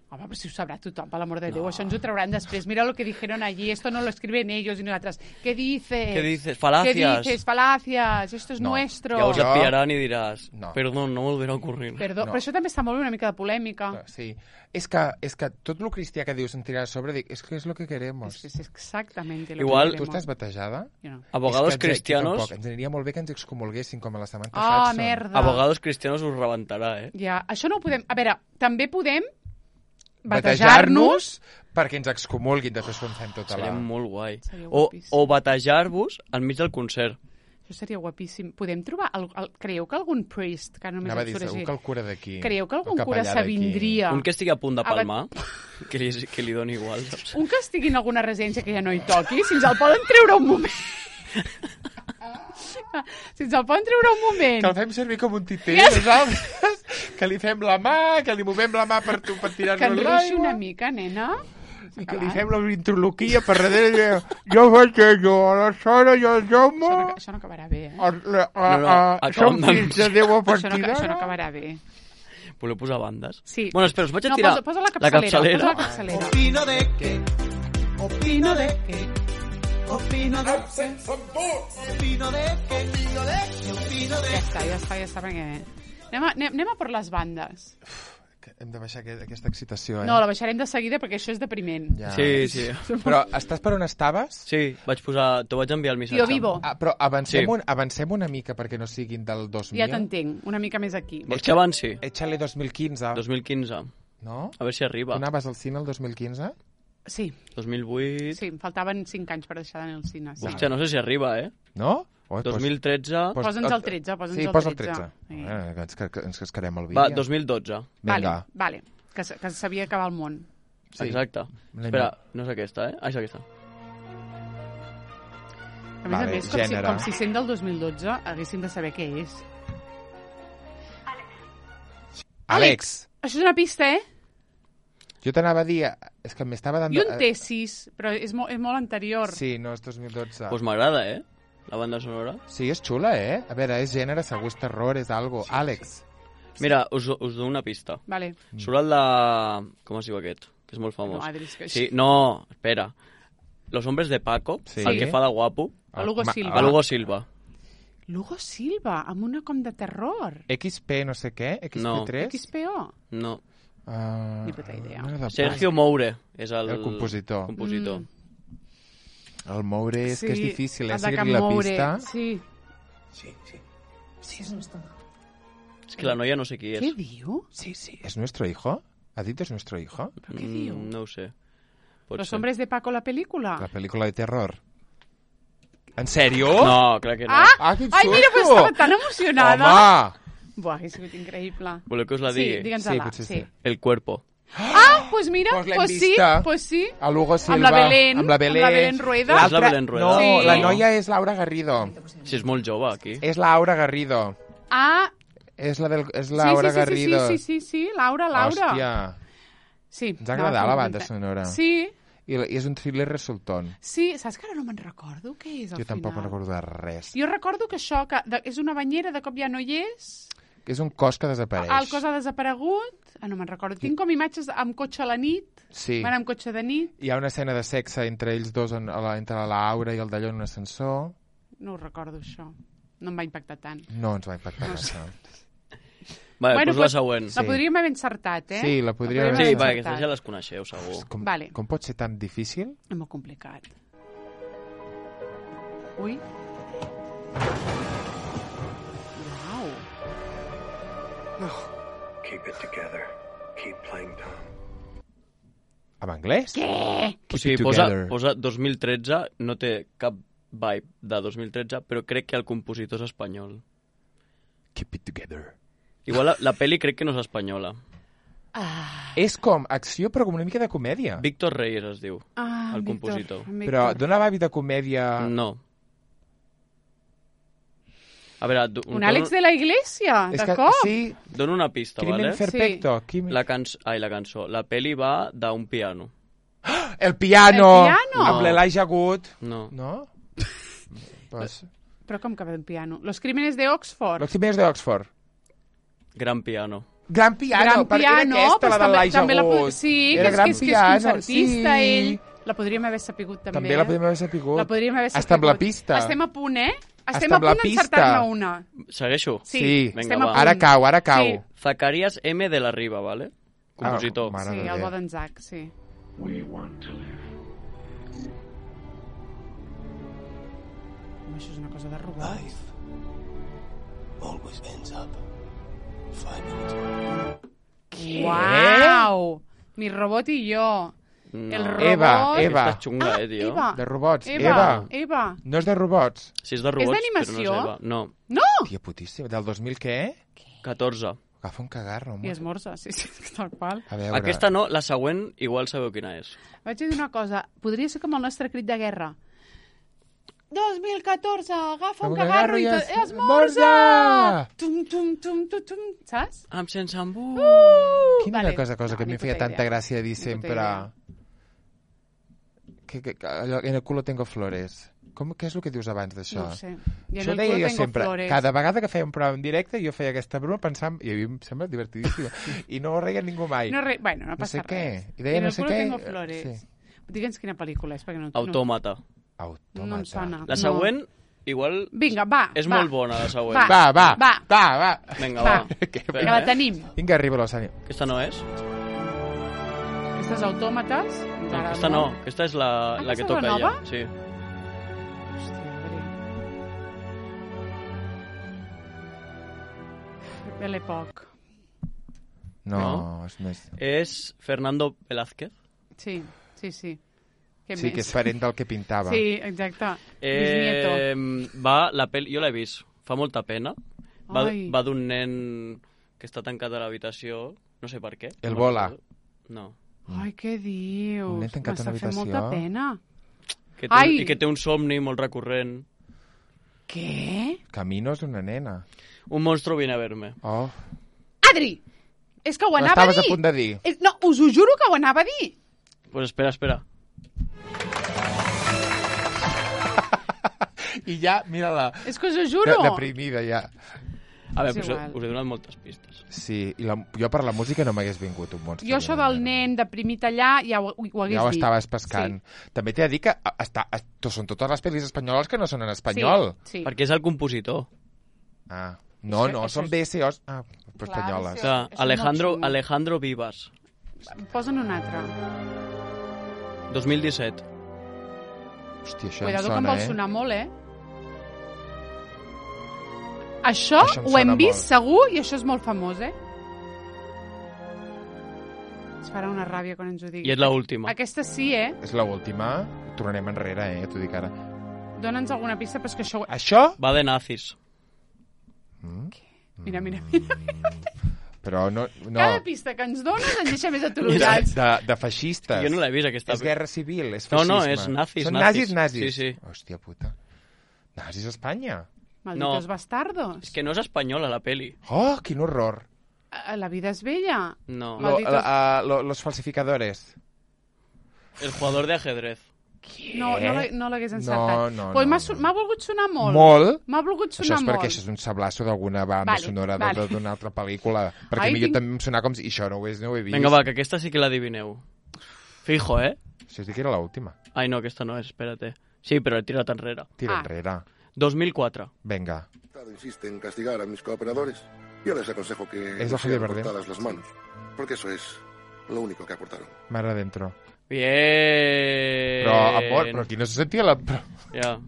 Home, però si ho sabrà tothom, per l'amor de Déu. Això ens ho trauran després. Mira lo que dijeron allí, esto no lo escriben ellos y nosotras. ¿Qué dices? Què dices? Falacias. ¿Qué dices? Falacias. Esto es No. nuestro. Llavors et Jo- pillaran i diràs, No. perdó, no volverà a ocurrir. Perdó, No. però això també està molt bé, una mica de polèmica. Sí. És que, és que tot el cristià que dius en tirar a sobre, dic, és que és lo que queremos. Es, es exactamente lo Igual- que Tu queremos. estàs batejada? Jo no. Abogados És que ens- cristianos... Tampoc. Ens aniria molt bé que ens excomulguessin, com a la setmana Ah, passada. merda. Abogados cristianos us rebentarà, eh? Ja, això no ho podem... A veure, també podem Batejar-nos perquè ens excomulguin, després quan fem tota Seria la... molt guai. Seria O, guapíssim. o batejar-vos enmig del concert. Això seria guapíssim. Podem trobar... El, el, creieu que algun priest, que només Anava a et dir, surt segur així, que el cura d'aquí. creieu que el algun cura capellà d'aquí. s'avindria Un que estigui a punt de Ah, va- palmar, que li, que li doni igual, saps? un que estigui en alguna residència que ja no hi toqui, si ens el poden treure un moment. Si ens el poden treure un moment. Que el fem servir com un titell, Yes. nosaltres, que li fem la mà, que li movem la mà per, tu, per Que tirar-lo en a ruixi l'aigua, una mica, nena. i que li fem la introloquia per darrere. I diu, jo batejo a la Sara i al Jaume, Això no, això no acabarà bé, eh? a, a, a, No, no, a, acabem som de- fills de Déu a Això no, partir això no d'ara. acabarà bé. Voleu posar bandes? Sí. Bueno, espera, us vaig a No, tirar posa, posa la la capçalera. capçalera. Posa la capçalera. Opino de que, opino de que, opino de que, opino de que, opino de que, opino de Ja està, ja està, ja està, perquè... Anem a, anem, anem a per les bandes. Hem de baixar aquest, aquesta excitació, eh? No, la baixarem de seguida perquè això és depriment. Ja. Sí, sí. Però estàs per on estaves? Sí, vaig posar... T'ho vaig enviar el missatge. Tio Vivo, Ah, però avancem, Sí. un, avancem una mica perquè no siguin del dos mil. ja t'entenc, una mica més aquí. Vols que avanci? Échale dos mil quinze, dos mil quinze. no? A veure si Tu arriba. anaves al cine el dos mil quinze? Sí, dos mil vuit... sí, em faltaven cinc anys per deixar d'anar al cine. Sí. Hòstia, no sé si arriba, eh? No? Oi, dos mil tretze... pues- Posa'ns el tretze, posa'ns sí, el posa el tretze. tretze. Sí. Eh, que ens, que ens cascarem el vídeo. Va, dos mil dotze. Vale, Vinga. vale, que, s- que sabia acabar el món. Sí. Exacte. Anem Espera, a- no és aquesta, eh? Ah, és aquesta. A més Vale, a més, com, si, gènere. com si sent del dos mil dotze, haguéssim de saber què és. Àlex, Això és una pista, eh? jo t'anava a dir... És que m'estava dando... I un T sis, però és, mo és molt anterior. Sí, no, és dos mil dotze. Doncs pues m'agrada, eh? La banda sonora. Sí, és xula, eh? A veure, és gènere, segur és terror, és algo. Àlex. Mira, us, us dono una pista. Vale. Surt el de... Com es diu aquest? Que és molt famós. No, Adri, és que... Sí, no, espera. Los hombres de Paco, Sí. el que fa de guapo, El Hugo Ma- Silva. el Hugo Silva. Lugo Silva, amb una com de terror. X P no sé què, X P No. tres? X P O. No. Uh, Ni puta idea. no era de Sergio Moure és el... El compositor. compositor. Mm. El moure és que és difícil, eh? el de Seguir Can la Moure, pista. Sí. És que la noia no sé qui és. Què diu? Sí, sí. ¿Es nuestro hijo? ¿Ha dit es nuestro hijo? Però què diu? Mm, no ho sé. Pot Los ser. hombres de Paco, la pel·lícula? La pel·lícula de terror. En sèrio? No, crec que no. Ah! Ah, quin Ai, mira, però susto! estava tan emocionada. Home! Buah, ha sigut increïble. Voleu que us la Sí, digui? digue'ns-la. Sí, potser sí. El cuerpo. Ah, pues mira, Pues l'hem pues sí, vista. pues sí. A Lugo Silva. Amb la Belén, Amb la Belén, amb la Belén Rueda. L'altra- És la Belén Rueda. No, Sí. la noia és Laura Garrido. Si és molt jove, aquí. És Laura Garrido. Ah, És la, del, és sí, Laura sí, sí, Garrido. sí, sí, sí, sí, Laura, Laura. Hòstia. Sí. Ens ha agradat anava la a fer banda un sonora. Sí, I, la- I és un thriller resultant. sí, saps que ara no me'n recordo què és al Jo tampoc final? me'n recordo de res. Jo recordo que això, que de, és una banyera, de cop ja no hi és, És un cos que desapareix. el cos ha desaparegut, Ah, no me'n recordo. Tinc com imatges amb cotxe a la nit. Sí. Van amb cotxe de nit. Hi ha una escena de sexe entre ells dos, en, a la, entre l'Aura i el d'allò en un ascensor. No ho recordo, això. No em va impactar tant. No ens va impactar No massa. Vale, Bueno, doncs pues, la següent. La Sí. podríem haver encertat, eh? Sí, la podríem La Sí, haver va, encertat. aquestes ja les coneixeu, segur. Com, Vale. com pot ser tan difícil? És molt complicat. Ui. Uau. Keep it together. Keep playing Tom. En anglès? Què? O Keep sigui, it posa, together. posa dos mil tretze, no té cap vibe de dos mil tretze, però crec que el compositor és espanyol. Keep it together. Igual la, la pel·li crec que no és espanyola. Ah, És com acció, però com una mica de comèdia. Víctor Reyes es diu, ah el Víctor, compositor. Víctor. Però dona vibe de comèdia... No. A veure, do, Un Àlex de la Iglesia, És de que, cop. sí, dono una pista, Crimen vale? Perfecto. Crimen... La, canç... Ai, la cançó. La pel·li va d'un piano. El piano! El piano! Amb l'Elijah Wood. No. No? pues... Però com que ve un piano? Los crímenes de Oxford. Los Crímenes d'Oxford. Gran piano. Gran piano, Gran perquè piano, era aquesta, la doncs també, d'Elijah també la, po- Wood. sí, que Era és, gran que és, que és piano, concertista, sí. ell. La podríem haver sapigut, també. També la podríem haver sapigut. La podríem haver sapigut. Està amb la pista. Estem a punt, eh? Estem Està a amb la punt pista. d'encertar-ne una. Segueixo? Sí, Sí. estem Vinga, a va. punt. Ara cau, ara cau. Sí. Zacarías M. de la Riva, vale? Compositor. Ah, mare Sí, de el Déu. bo d'en Zac, sí. We want to live. Home, això és una cosa de robot. Life always ends up five minutes away. Uau! Mi robot i jo. No. El robot... Eva, Eva. Aquesta és xunga, Ah, eh, tio. Eva. De robots. Eva. Eva. Eva. No és de robots. Sí, és de robots, d'animació? però no és Eva. No, No! Tia putíssima. Del dos mil què? catorze. Agafa un cagarro, I home. esmorza, sí, sí, tal qual. A veure... Aquesta no, la següent igual sabeu quina és. Vaig dir una cosa, podria ser com el nostre crit de guerra. dos mil catorze, agafa un Un cagarro i cagarro i tot... es- Esmorza! Esmorza! Tum, tum, tum, tum, tum, saps? Amb sense embut. Uh! Quina Vale. vale. cosa, cosa No, que ni em feia puta tanta idea. gràcia dir Ni puta sempre... idea. Que, que, que, allò, en el culo tengo flores. Com, què és el que dius abans d'això? No ho sé. I en Això el deia culo jo tengo sempre. flores. Cada vegada que feia un programa en directe jo feia aquesta broma pensant... I a mi em sembla divertidíssima. I no reia ningú mai. No, re... bueno, no No sé passa què. res. I deia en no el sé culo què. tengo flores. Sí. Digue'ns quina pel·lícula és, perquè no... Autòmata. Autòmata. No, no em sona. La No. següent, igual... Vinga, va, És va. molt bona, la següent. Va. Va, va, Va. va, va. Vinga, Va. va. Que Que Vinga, la eh? tenim. Vinga, arriba l'Ossani. Aquesta no és? Aquestes autòmates... No, aquesta no. Aquesta és la, Ah, la que aquesta és toca la ella. nova? Sí. Hòstia, a veure. Belle poc. No, No? és més... És Fernando Velázquez. Sí, sí, sí. Què Sí, més? que és parent del que pintava. Sí, exacte. Bisnieto. Eh, va, la pel... Jo l'he vist. Fa molta pena. Va, Ai. va d'un nen que està tancat a l'habitació, no sé per què. El No Bola. recordo. No. Ai, què dius? Un nen tancat a M'està una fent habitació. molta pena. Que té, Ai! I que té un somni molt recurrent. Què? Caminos d'una nena. Un monstruo viene a verme. Oh, Adri! És que ho anava a l'estaves dir. a punt de dir. És- No, us ho juro que ho anava a dir. Pues espera, espera. I ja, mira-la. És que us ho De, juro. deprimida, ja. A veure, És pues, igual. us he donat moltes pistes. Sí, i la, jo per la música no m'hagués vingut un monstre. Jo això d'una del nena. nen deprimit allà ja ho, ho hagués Ja ho dit. estaves pescant. Sí. També t'he de dir que a- està, a, to- són totes les pel·lis espanyoles que no són en Sí, espanyol. sí. Perquè és el compositor. Ah, no, Això- no, això són és- B S Os ah, Clar, espanyoles. això- Clar, és Alejandro, molt xungo. Alejandro Vivas, Posa'n un altre. dos mil disset. Hòstia, això Cuidado em que em sona, vol eh? sonar molt, eh? Això, Això em ho hem sona vist molt. segur i això és molt famós, eh? Es farà una ràbia quan ens ho digui. I és l'última. Aquesta sí, eh? És l'última. Tornarem enrere, eh? T'ho dic ara. Dona'ns alguna pista, però és que això... Això? Va de nazis. Mm? Mira, mira, mira. Però no... no. Cada pista que ens dones ens deixa més De, atolonats. de, de feixistes. Jo no l'he vist, aquesta. És guerra civil, és No, feixisme. no, és nazis, Són nazis. nazis, nazis. Sí, sí. Hòstia puta. Nazis a Espanya? Malditos No. bastardos. És que no és espanyola, la peli. Oh, quin horror. A- La vida és bella. No. Lo, Malditos- la, a, lo, los falsificadores. El jugador de ajedrez. No, no, l'ha- no l'hagués encertat. No, no, pues no, m'ha no. su- m'ha volgut sonar molt. Molt? M'ha volgut Això sonar és molt. perquè això és un sablasso d'alguna banda Vale, sonora vale. de- d'una altra pel·lícula. Perquè Ai, a mi tinc- també em sonava com si... I això no ho, és, no ho he vist. Vinga, va, que aquesta sí que l'adivineu. Fijo, eh? Això sí que era l'última. Ai, no, aquesta no és, espérate. Sí, però he tirat enrere. Tira Ah. enrere. dos mil quatre. Venga. Insiste en castigar a mis cooperadores. Yo les aconsejo que Es no de Javier sean Bardem. cortadas las manos, porque eso es lo único que aportaron. Mar adentro. Bien. Però, amor, però aquí no se sentia la... Però, Ja.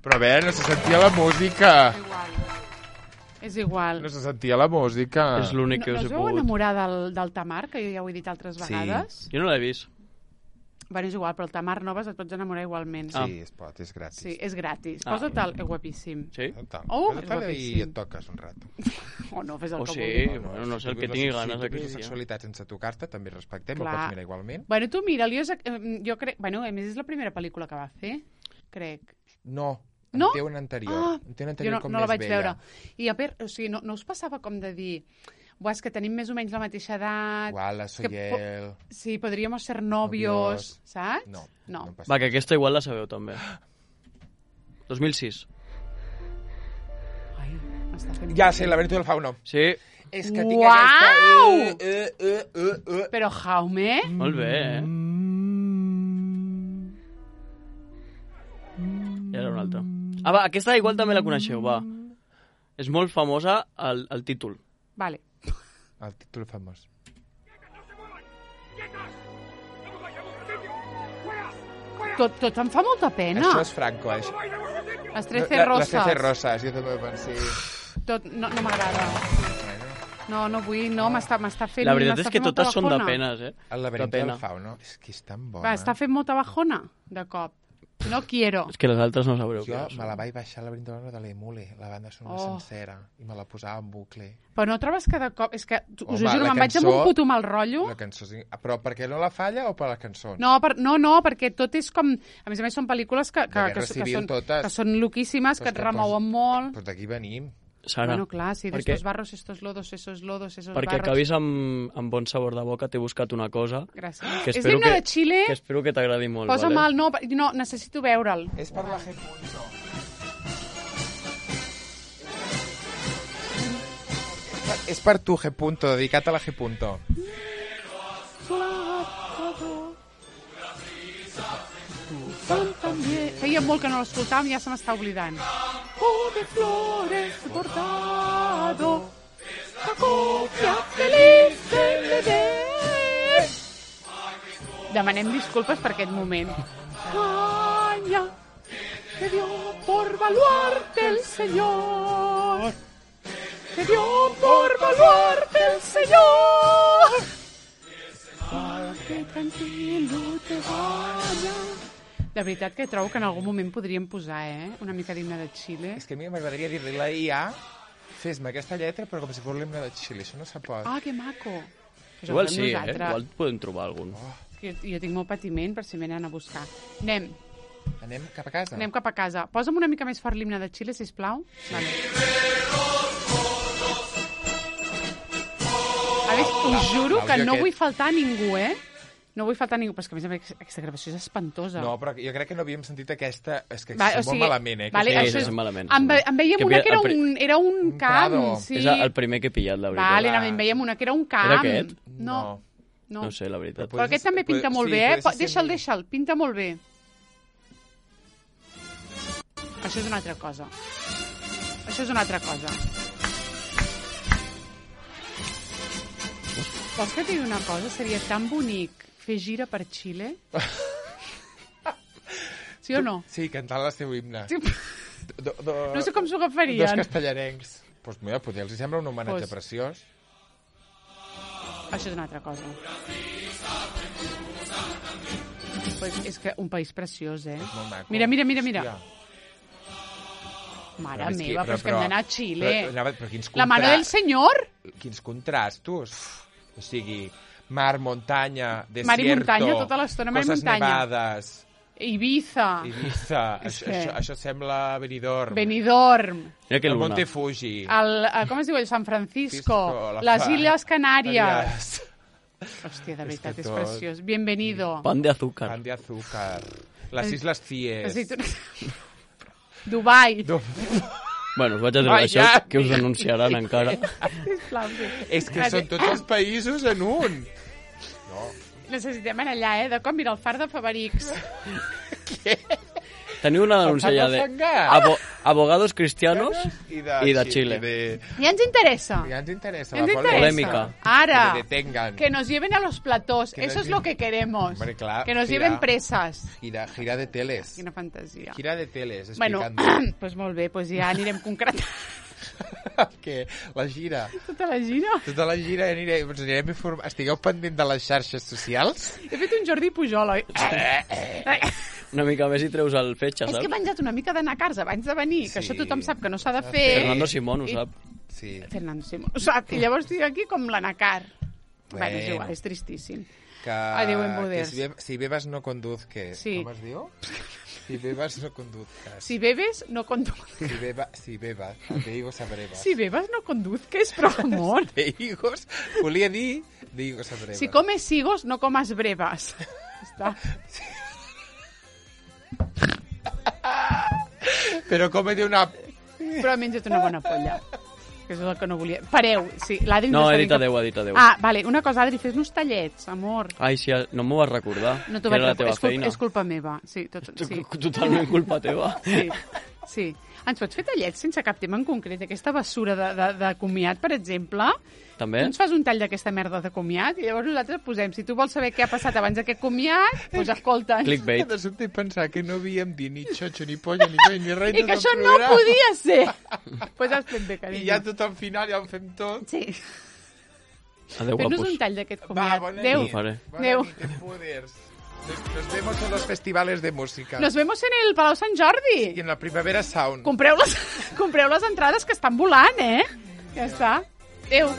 però a veure, no se sentia la música. És igual. No se sentia la música. És l'únic que No, us no he us veu pogut. enamorar del, del Tamar, que jo ja ho he dit altres Sí. vegades? Jo no l'he vist. Bueno, és igual, però el Tamar Noves et pots enamorar igualment. Sí, es pot, és gratis. Sí, és gratis. Ah. Posa't-el, és guapíssim. Sí? Total. Oh, Posa't-la és i guapíssim. et toques un rato. O no, fes el O que sí, vulguis. bueno, no sé, el Si que tu tingui vius la- ganes Si tu aquell vius la dia. sexualitat sense tocar-te, també respectem, el Clar. pots mirar igualment. Bueno, tu mira'l, jo, eh, jo crec... Bueno, a més és la primera pel·lícula que va fer, crec. No, en No? té una anterior. Ah, en té una jo anterior no, com no la més vaig vella. veure. I a per, o sigui, no, no us passava com de dir... Buah, és que tenim més o menys la mateixa edat... Guala, que po- Soyel... Sí, podríamos ser novios, Novios. saps? No, No. no passa Va, que aquesta igual la sabeu també. dos mil sis. Ai, m'està fent... Ja sé, l'Avento del Fauno. Sí, És que tinc Uau! aquesta... Uh, uh, uh, uh, uh. Però Jaume... molt bé, eh? I ara una altra. Ah, va, aquesta igual també la coneixeu, va. És molt famosa el, el títol. Vale. El títol famós. Tot, tot em fa molta pena. Això és Franco, això. Les trece La- roses. Les trece roses, jo també ho pensé. Tot, no no m'agrada. No, no vull, no, m'està m'està fent... La veritat m'està és que fent molta totes són de bajona. penes, eh? El De laberinto pena. del Fauno. És que és tan bona. Va, està fent molta bajona, de cop. No quiero. És que les altres no sabreu Jo què me la són. vaig baixar al laberinto del Fauno de l'Emule, la banda sonora Oh. sencera, i me la posava en bucle. Però no trobes que de cop... És que, us ho Home, juro, la me'n vaig amb cançó- un puto mal rotllo. La cançó... és- Però per què no la falla o per les cançons? No, per, no, no, perquè tot és com... A més a més, són pel·lícules que, que, De que, Guerra que, Civil, són, totes. que són loquíssimes, Però que és et que remouen pos- molt. Doncs d'aquí venim. Sara, Bueno, clar, sí, perquè- d'estos barros, estos lodos, esos lodos, esos perquè barros. acabis amb, amb bon sabor de boca, t'he buscat una cosa Gràcies. que És espero l'himne que, de Xile. que espero que t'agradi molt. Posa'm vale? el... No, no, necessito veure'l. És per la G. Punto. És per tu, G. Punto, dedicat a la G. Punto. Feia molt que no l'escoltàvem i ja se m'està oblidant. Oh, de flores bordado, la copia feliz del bebé. Demanem disculpes per aquest moment. Caña, que dio por baluarte el Señor. Que dio por baluarte el Señor. Para que tranquilo te vayas. De veritat que trobo que en algun moment podríem posar, eh? Una mica d'himne de Xile. És que a mi m'agradaria dir-li la I A, fes-me aquesta lletra, però com si fos l'himne de Xile. Això no se pot. Ah, que maco. Pues Igual ho fem sí, eh? nosaltres. Igual podem trobar algun. Oh, Jo, jo tinc molt patiment per si m'anen a buscar. Anem, anem cap a casa? anem cap a casa. Posa'm una mica més fort l'himne de Xile, sisplau. Vale. A més, us juro que l'àudio no aquest- vull faltar a ningú, eh? No vull faltar a ningú, però és que a més a més aquesta gravació és espantosa. No, però jo crec que no havíem sentit aquesta... És que Va, Va, o sigui, molt malament, eh? Que vale, sí, això sí, és- és malament. En, ve, en veiem Que una mira, que era el pri- un, era un Un camp, prado. sí. És el primer que he pillat, la veritat. Vale, Va. en veiem una que era un camp. Era aquest? No, No. no. No sé, la veritat. Però Però aquest també pinta Pot- molt sí, bé, eh? pot ser Deixa'l, sempre- deixa'l, pinta molt bé. Això és una altra cosa. Això és una altra cosa. Vols que et digui una cosa? Seria tan bonic fer gira per Xile? Sí o no? Sí, cantant el seu himne. Sí. Do, do, No sé com s'ho Dos agafarien. castellarencs. Doncs pues mira, potser els hi sembla un homenatge Pues- preciós. Això és una altra cosa. Pues és que un país preciós, eh? És molt maco. Mira, mira, mira, mira. Hòstia. Mare Però és que- meva, però, és que hem d'anar a Xile. Però, anava- però quins La mano contra- del senyor? Quins contrastos. O sigui, mar, muntanya, desierto... Mar i muntanya, tota l'estona, mar i coses muntanya. nevades, Ibiza, Ibiza... És això, que- això, això sembla Benidorm. Benidorm, Mira que el luna. Monte Fuji. el, el, com es diu, el San Francisco, Francisco, la les fa- Illes Canàries. Canàries. Hòstia, de veritat, és, que és tot- preciós. Bienvenido. Pan de azúcar. Pan de azúcar. Les Isles Cies. Aceitunes. Dubai. Du- Bueno, us vaig a dir Ai, això, ja. que us denunciaran encara. Sisplau, sí. És que són tots els països en un. Necessitem anar allà, eh? De com mira el far de Favarix. Teniu una denúncia ja de abo abogados cristianos I de, i de Chi- Xile. I de... Ja ens interessa. Ja ens interessa Ens la interessa. Polèmica. Ara, Que detengan. que nos lleven a los platós. Que nos Eso es lleven- lo que queremos. Hombre, clar, que nos gira. lleven presas. Gira, gira de teles. Quina fantasia. Gira de teles, Bueno, explicant pues molt bé, pues ja anirem concretant que la gira, tota la gira. tota la gira ja anirem, ens anirem informant. Estigueu pendent de les xarxes socials. He fet un Jordi Pujol, oi? Una mica més i treus el fetge, És que he saps? menjat una mica de nacars abans de venir, que Sí. això tothom sap que no s'ha de fer. Fernando Simón ho I- sap. Sí. Fernando Simón ho sap. I llavors estic aquí com la nacar. Bueno, és Bueno. igual, és tristíssim. Que, Adéu, embuders. que si, be si bebes no conduzques. Sí. Com es diu? Si bebes no conduzcas. Si bebes, no conduzcas. Si, beba, si bebas, de higos a brevas. Si bebes, no conduzques, però amor. De higos, volia dir de higos a brevas. Si comes higos, no comas brevas. Està. Però cómete una... Però menja't una bona polla. Que és el que no volia. Pareu, sí. L'Adri No, ens he està dit dient que- adeu, he dit adeu. Ah, vale, una cosa, Adri, fes-nos tallets, amor. Ai, sí, no m'ho vas recordar. No t'ho que vaig era la recordar. teva És, culpa, feina. és culpa meva. Sí, tot, sí. Totalment culpa teva. Sí, sí. Ens pots fer tallets sense cap tema en concret? Aquesta bessura de, de, de comiat, per exemple? També? Tu ens fas un tall d'aquesta merda de comiat i llavors nosaltres posem, si tu vols saber què ha passat abans d'aquest comiat, doncs escolta. Clickbait. De sobte pensar que no havíem dit ni xotxo, ni polla, ni coi, ni res. I que això no podia ser. Doncs pues has fet bé, I carinyo. ja tot al final ja ho fem tot. Sí. Adeu, Fes-nos guapos. un tall d'aquest Va, comiat. bona Adéu. nit. Ho faré. Bona Adéu. nit, Empuders. Nos vemos en los festivales de música. Nos vemos en el Palau Sant Jordi. I en la Primavera Sound. Compreu les, compreu les entrades que estan volant, eh? Ja està. Adéu.